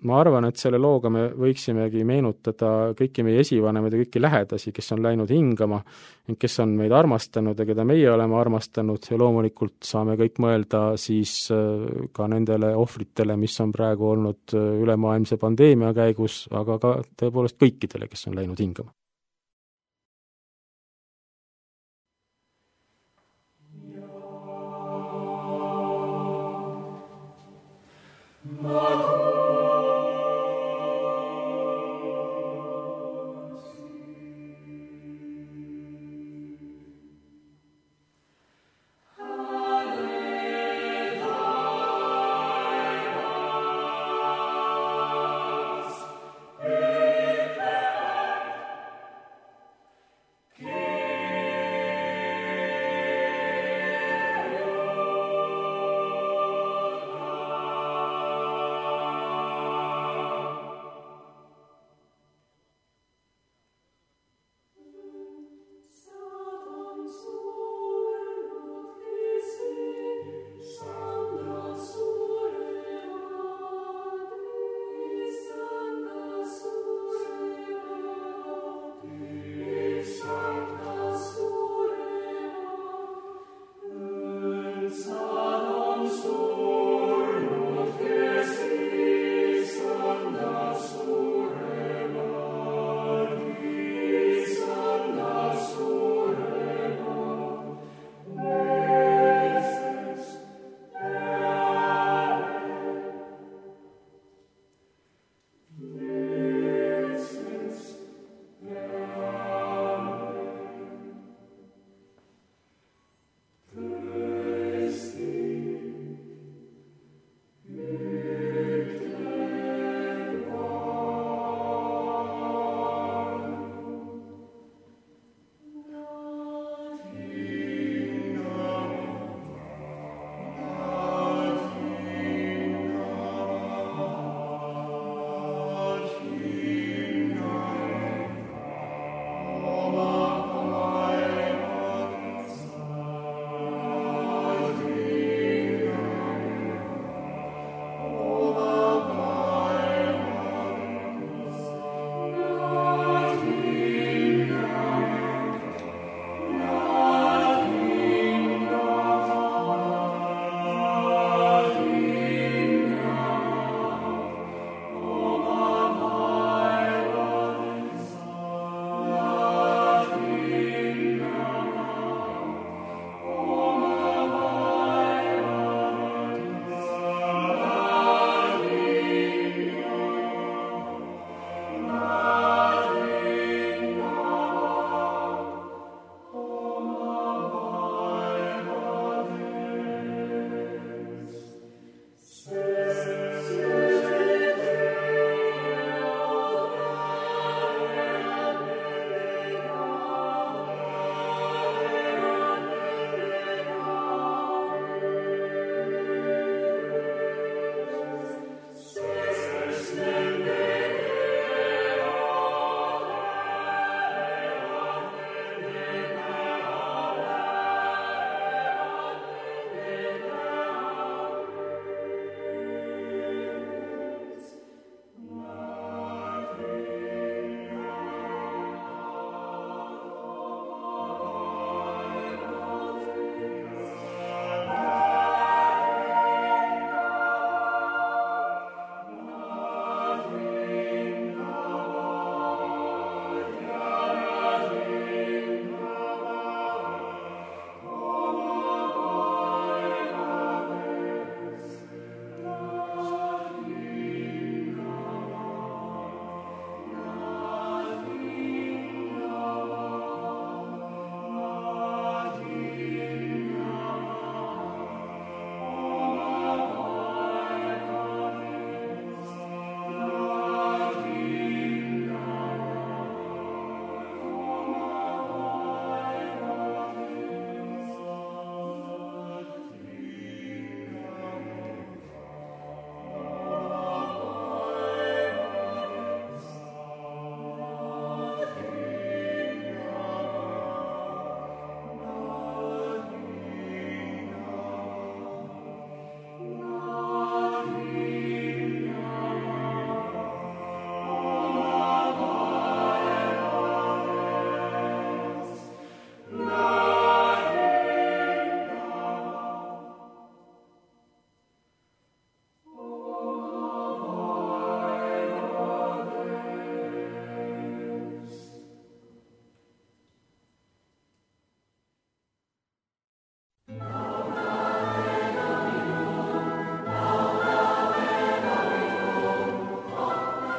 ma arvan, et selle looga me võiksimegi meenutada kõiki meie esivanemad ja kõiki lähedasi, kes on läinud hingama, kes on meid armastanud ja keda meie oleme armastanud ja loomulikult saame kõik mõelda siis ka nendele ohvritele, mis on praegu olnud ülemaailmse pandeemia käigus, aga ka tõepoolest kõikidele, kes on läinud hingama.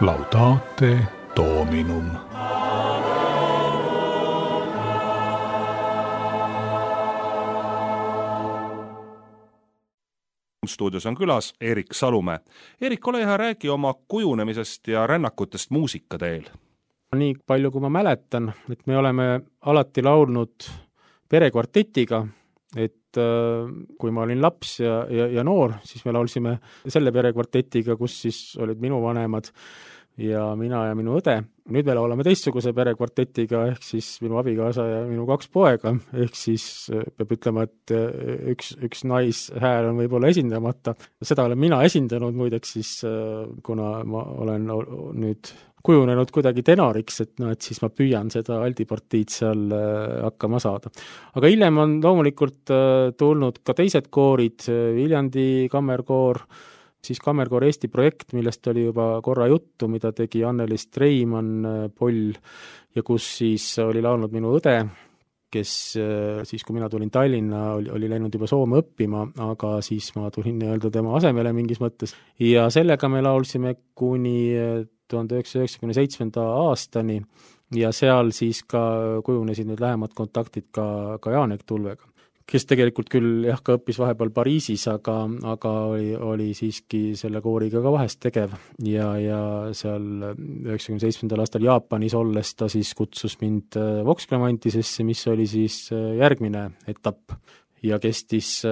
Laudate Dominum. Stuudios on külas Erik Salumäe. Erik, ole hea, räägi oma kujunemisest ja rännakutest muusikateel. Nii palju, kui ma mäletan, et me oleme alati laulnud perekvartetiga, et kui ma olin laps ja noor, siis me laulsime selle perekvartetiga, kus siis olid minu vanemad ja mina ja minu õde. Nüüd me laulame teistsuguse perekvartetiga, ehk siis minu abikaasa ja minu 2 poega, ehk siis peab ütlema, et üks naishääl on võib-olla esindamata. Seda olen mina esindanud muideks siis, kuna ma olen nüüd kujunenud kuidagi tenoriks, et siis ma püüan seda aldipartiid seal hakkama saada. Aga hiljem on loomulikult tulnud ka teised koorid, Viljandi kammerkoor, siis Kammerkoor Eesti projekt, millest oli juba korra juttu, mida tegi Anneliis Treimann Poll ja kus siis oli laulnud minu õde, kes siis, kui mina tulin Tallinna, oli läinud juba Soome õppima, aga siis ma tulin nii-öelda tema asemele mingis mõttes. Ja sellega me laulsime kuni 1997. aastani ja seal siis ka kujunesid need lähemad kontaktid ka Jaanek Tulvega, kes tegelikult küll ka õppis vahepeal Pariisis, aga oli siiski selle kooriga ka vahest tegev ja seal 97. aastal Jaapanis olles ta siis kutsus mind Vox Clamantisesse, mis oli siis järgmine etapp ja kestis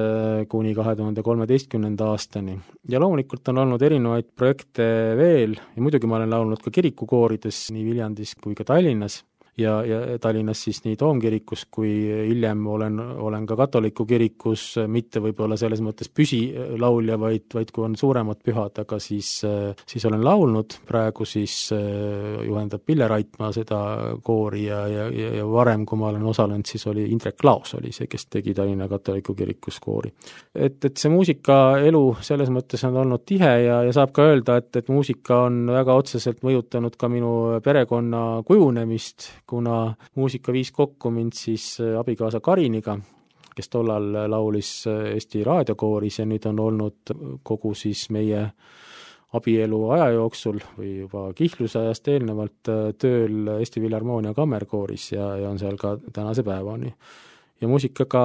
kuni 2013. aastani. Ja loomulikult on olnud erinevaid projekte veel ja muidugi ma olen laulnud ka kirikukoorides nii Viljandis kui ka Tallinnas. Ja Tallinnas siis nii Toomkirikus kui hiljem olen ka katoliku kirikus, mitte võib-olla selles mõttes püsilaulja, vaid kui on suuremad pühad, aga siis olen laulnud, praegu siis juhendab Pille Raitmaa seda koori ja varem, kui ma olen osalenud, siis oli Indrek Laos oli see, kes tegi Tallinna katoliku kirikus koori. Et see muusikaelu selles mõttes on olnud tihe ja saab ka öelda, et muusika on väga otseselt mõjutanud ka minu perekonna kujunemist, kuna muusika viis kokku mind siis abikaasa Kariniga, kes tollal laulis Eesti raadiokooris ja nüüd on olnud kogu siis meie abielu aja jooksul või juba kihllusajast eelnevalt tööl Eesti Filharmoonia kammerkooris ja on seal ka tänase päevani. Ja muusikaga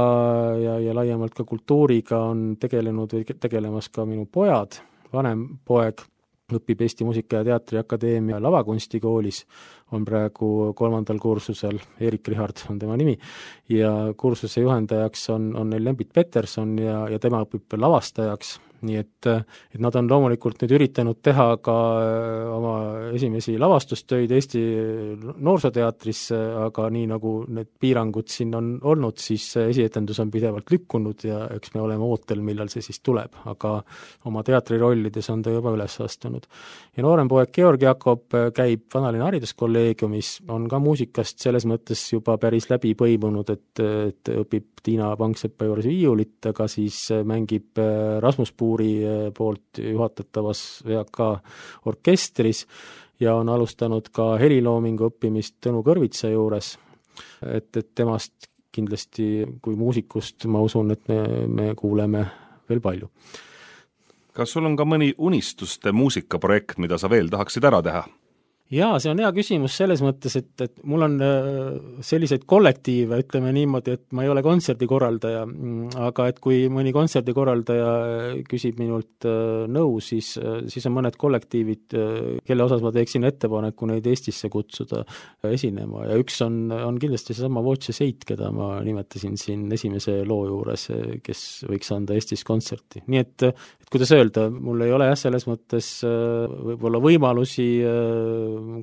ja laiemalt ka kultuuriga on tegelemas ka minu pojad, vanem poeg õpib Eesti Muusika- ja Teatriakadeemia lavakunstikoolis, on praegu 3. kursusel, Erik Richard on tema nimi, ja kursuse juhendajaks on neil Lembit Peterson ja tema õpib lavastajaks, nii et nad on loomulikult nüüd üritanud teha ka oma esimesi lavastustöid Eesti Noorsooteatris, aga nii nagu need piirangud siin on olnud, siis esietendus on pidevalt lükkunud ja eks me oleme ootel, millal see siis tuleb, aga oma teatrirollides on ta juba üles astunud. Ja noorem poeg Georg Jakob käib Vanalinna hariduskolleegiumis, on ka muusikast selles mõttes juba päris läbi põimunud, et õpib Tiina Pangsepa juures viiulit, aga siis mängib Rasmus Puuri poolt juhatatavas VK orkestris ja on alustanud ka heliloomingu õppimist Tõnu Kõrvitsa juures, et temast kindlasti kui muusikust ma usun, et me kuuleme veel palju. Kas sul on ka mõni unistuste muusikaprojekt, mida sa veel tahaksid ära teha? Jaa, see on hea küsimus selles mõttes, et mul on selliseid kollektiive, ütleme niimoodi, et ma ei ole kontserdikorraldaja, aga et kui mõni kontserdikorraldaja küsib minult nõu, siis on mõned kollektiivid, kelle osas ma teeksin ettepaneku neid Eestisse kutsuda esinema ja üks on kindlasti seesama Voce Seit, keda ma nimetasin siin esimese loo juures, kes võiks anda Eestis kontserti. Nii et kuidas öelda, mul ei ole selles mõttes võib-olla võimalusi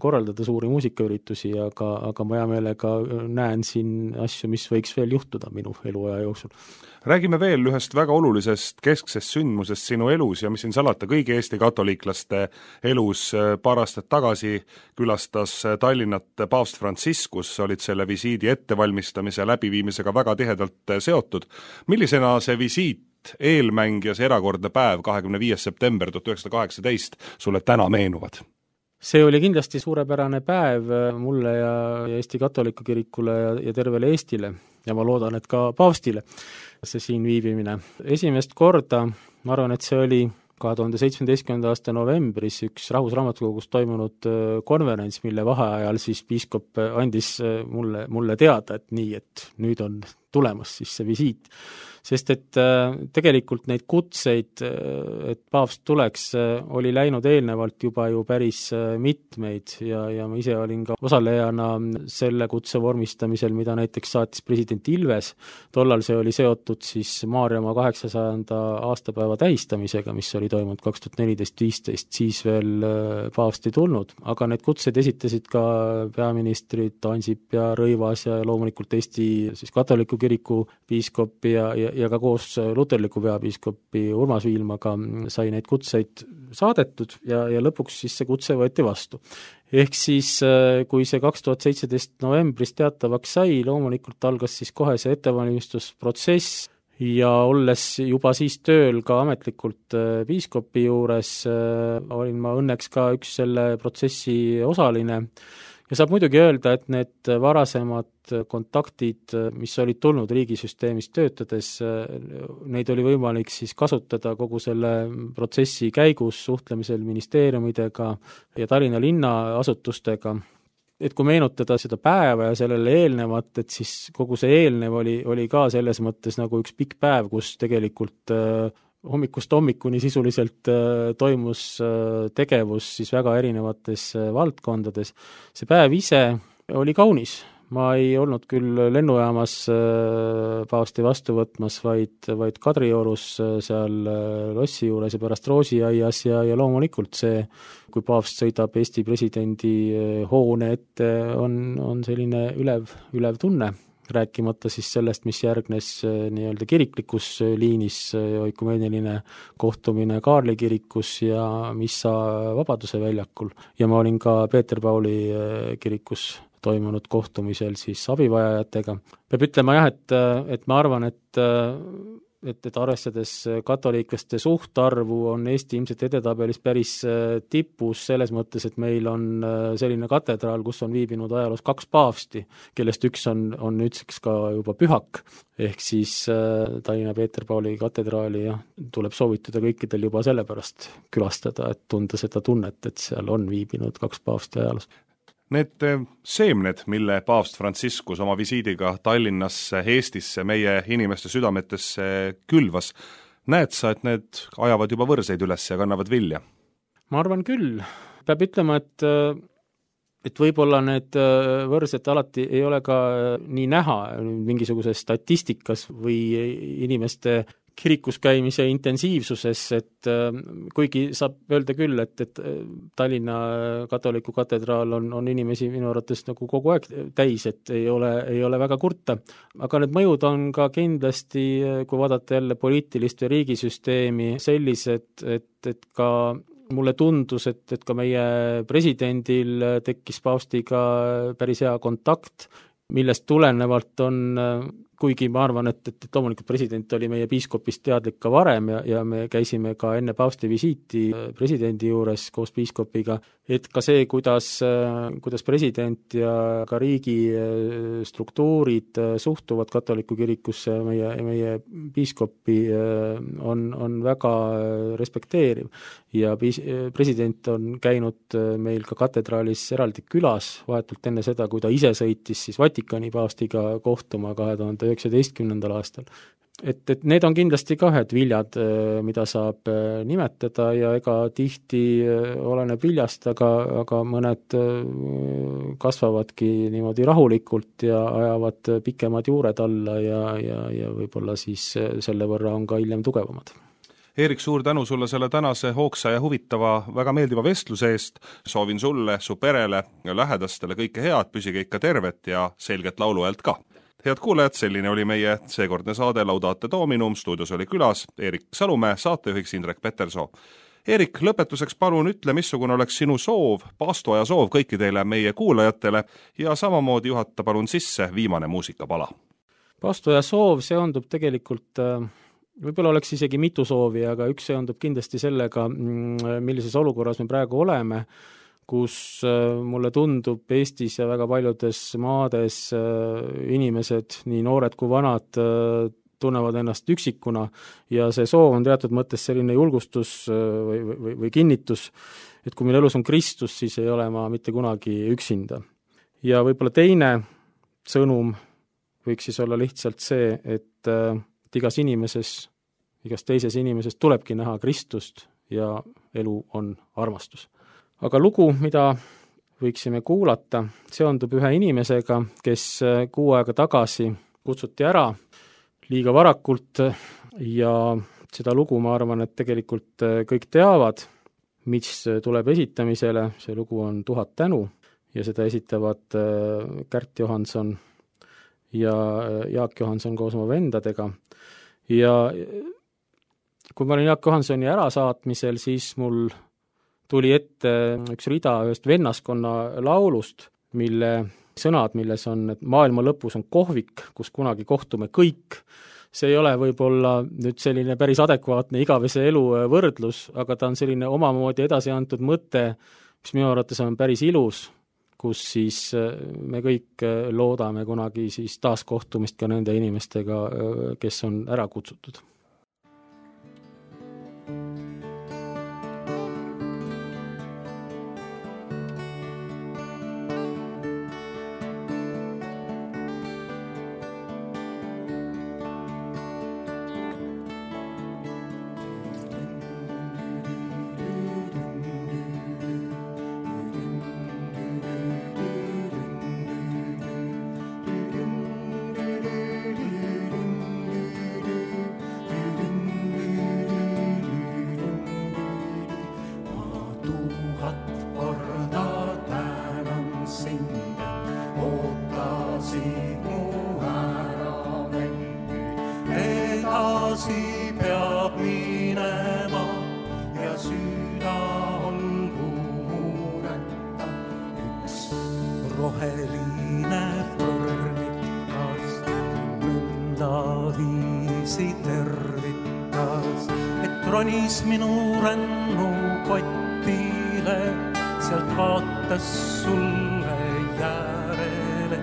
korraldada suuri muusikaüritusi, aga ma hea meelega näen siin asju, mis võiks veel juhtuda minu eluaja jooksul. Räägime veel ühest väga olulisest kesksest sündmusest sinu elus ja mis siin salata kõigi Eesti katoliiklaste elus. Paar aastat tagasi külastas Tallinnat paavst Franciscus, olid selle visiidi ettevalmistamise ja läbiviimisega väga tihedalt seotud. Millisena see visiit, eelmäng ja see erakordne päev 25. september 1918 sulle täna meenuvad? See oli kindlasti suurepärane päev mulle ja Eesti katoliku kirikule ja tervele Eestile ja ma loodan, et ka paavstile see siin viibimine. Esimest korda, ma arvan, et see oli 2017. aasta novembris üks Rahvusraamatukogus toimunud konverents, mille vaheajal siis piiskop andis mulle teada, et nii, et nüüd on tulemas siis see visiit. Sest et tegelikult neid kutseid, et paavst tuleks, oli läinud eelnevalt juba ju päris mitmeid ja ma ise olin ka osalejana selle kutse vormistamisel, mida näiteks saatis president Ilves. Tollal see oli seotud siis Maarjamaa 800. aastapäeva tähistamisega, mis oli toimunud 2014-15, siis veel paavst ei tulnud, aga need kutseid esitasid ka peaministrid Ansip ja Rõivas ja loomulikult Eesti siis katoliku kiriku piiskop ja ka koos luterliku peapiiskopi Urmas Viilmaga sai neid kutseid saadetud ja lõpuks siis see kutse võeti vastu. Ehk siis, kui see 2017 novembris teatavaks sai, loomulikult algas siis kohe see ettevalmistusprotsess ja olles juba siis tööl ka ametlikult piiskopi juures, olin ma õnneks ka üks selle protsessi osaline. Ja saab muidugi öelda, et need varasemad kontaktid, mis olid tulnud riigisüsteemis töötades, neid oli võimalik siis kasutada kogu selle protsessi käigus suhtlemisel ministeeriumidega ja Tallinna linnaasutustega. Et kui meenutada seda päeva ja sellele eelnevat, et siis kogu see eelnev oli ka selles mõttes nagu üks pikk päev, kus tegelikult hommikust hommikuni sisuliselt toimus tegevus siis väga erinevates valdkondades. See päev ise oli kaunis. Ma ei olnud küll lennujaamas paavsti vastu võtmas, vaid Kadriorus seal lossi juures ja pärast Roosiaias ja loomulikult see, kui paavst sõidab Eesti presidendi hoone ette, on selline ülev tunne. Rääkimata siis sellest, mis järgnes nii-öelda kiriklikus liinis, oikumeeniline kohtumine Kaarli kirikus ja missa Vabaduse väljakul. Ja ma olin ka Peeter Pauli kirikus toimunud kohtumisel siis abivajajatega. Peab ütlema jah, et ma arvan, et arvestades katoliiklaste suhtarvu on Eesti ilmselt edetabelis päris tipus selles mõttes, et meil on selline katedraal, kus on viibinud ajaloos 2 paavsti, kellest üks on nüüdseks ka juba pühak, ehk siis Tallinna Peeter Pauli katedraali ja tuleb soovitada kõikidel juba sellepärast külastada, et tunda seda tunnet, et seal on viibinud 2 paavsti ajaloos. Need seemned, mille paavst Franciscus oma visiidiga Tallinnasse, Eestisse, meie inimeste südametesse külvas, näed sa, et need ajavad juba võrseid üles ja kannavad vilja? Ma arvan küll. Peab ütlema, et võib-olla need võrsed alati ei ole ka nii näha mingisuguses statistikas või inimeste kirikus käimise intensiivsuses, et kuigi saab öelda küll, et Tallinna katoliku katedraal on inimesi minu arvates nagu kogu aeg täis, et ei ole väga kurta. Aga need mõjud on ka kindlasti, kui vaadata jälle poliitilist ja riigisüsteemi, sellised, et ka mulle tundus, et ka meie presidendil tekkis paavstiga päris hea kontakt, millest tulenevalt on, kuigi ma arvan, et loomulikult president oli meie piiskopist teadlik ka varem ja me käisime ka enne paavsti visiiti presidendi juures koos piiskopiga, et ka see, kuidas president ja ka riigi struktuurid suhtuvad katoliku kirikusse meie piiskopi on väga respekteeriv ja president on käinud meil ka katedraalis eraldi külas vahetult enne seda, kui ta ise sõitis siis Vatikani paavstiga kohtuma 2019. aastal. Et need on kindlasti ka ühed viljad, mida saab nimetada ja ega tihti oleneb viljast, aga mõned kasvavadki niimoodi rahulikult ja ajavad pikemad juured alla ja võib-olla siis selle võrra on ka hiljem tugevamad. Eerik, suur tänu sulle selle tänase hoogsa ja huvitava, väga meeldiva vestluse eest. Soovin sulle, su perele ja lähedastele kõike head, püsige ikka tervet ja selget lauluhäält ka. Head kuulajad, selline oli meie seekordne saade Laudate Dominum, stuudios oli külas Eerik Salumäe, saatejuhiks Indrek Petersoo. Eerik, lõpetuseks palun ütle, missugune oleks sinu soov, paastoaja soov kõikidele meie kuulajatele ja samamoodi juhata palun sisse viimane muusikapala. Paastoaja soov seondub tegelikult, võib-olla oleks isegi mitu soovi, aga üks seondub kindlasti sellega, millises olukorras me praegu oleme, kus mulle tundub Eestis ja väga paljudes maades inimesed, nii noored kui vanad, tunnevad ennast üksikuna ja see soov on teatud mõttes selline julgustus või kinnitus, et kui meil elus on Kristus, siis ei ole ma mitte kunagi üksinda. Ja võib-olla teine sõnum võiks siis olla lihtsalt see, et igas teises inimeses tulebki näha Kristust ja elu on armastus. Aga lugu, mida võiksime kuulata, seondub ühe inimesega, kes 6 aega tagasi kutsuti ära liiga varakult ja seda lugu ma arvan, et tegelikult kõik teavad, mis tuleb esitamisele, see lugu on 1000 tänu ja seda esitavad Kärt Johanson ja Jaak Johanson koos oma vendadega. Ja kui ma olin Jaak Johansoni ärasaatmisel, siis mul tuli ette üks rida ühest vennaskonna laulust, mille sõnad, milles on, et maailma lõpus on kohvik, kus kunagi kohtume kõik. See ei ole võib-olla nüüd selline päris adekvaatne igavese elu võrdlus, aga ta on selline omamoodi edasi antud mõte, mis minu arvates on päris ilus, kus siis me kõik loodame kunagi siis taaskohtumist ka nende inimestega, kes on ära kutsutud. Ronis minu rännu kottile, sealt vaatas sulle järele.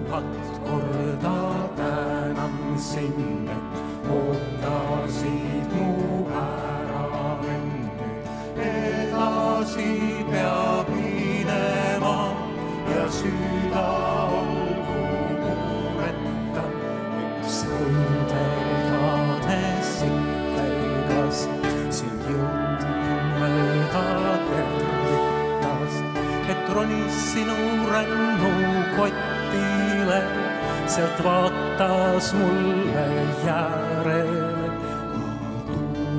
1000 korda tänan sind, et ootasid mu ära enne. Edasi peab minema ja süda olgu mureta. Üks õndekade sikkelgas sind jõudmööda tervitas, et ronis sinu rännu kottile, sealt vaatas mulle järele.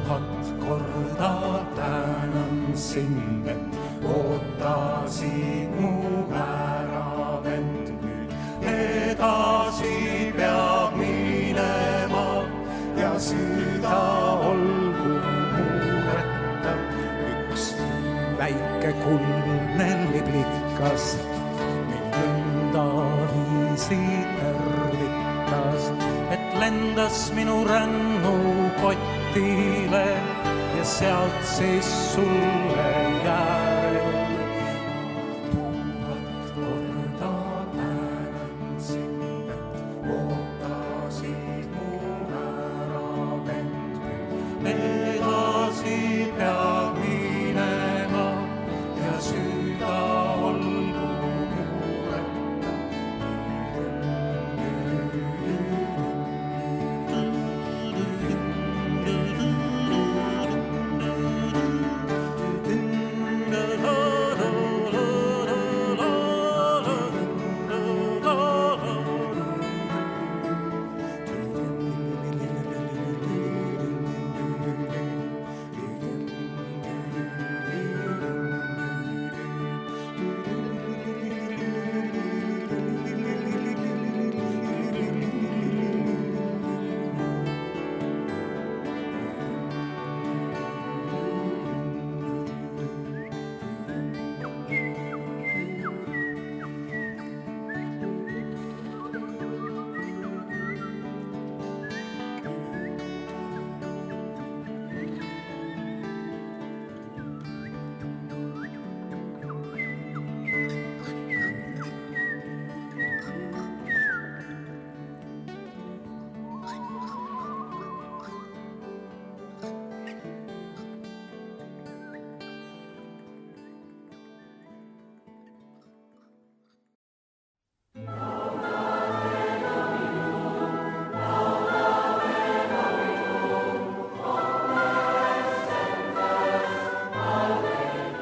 1000 korda tänan sind, et ootasid mu ära vend nüüd. Edasi peab minema ja süda olgu mureta. Üks väike kuldne liblikas mind nõnda viisi tervitas, et lendas minu rännu kottile ja sealt siis sulle järel. 1000 korda tänan sind, et ootasid mu ära vend. Edasi peab minema ja süda olgu mureta.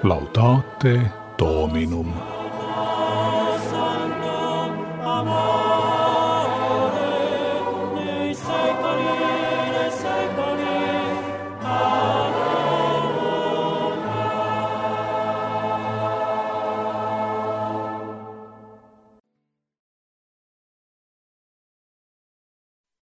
Laudate Dominum.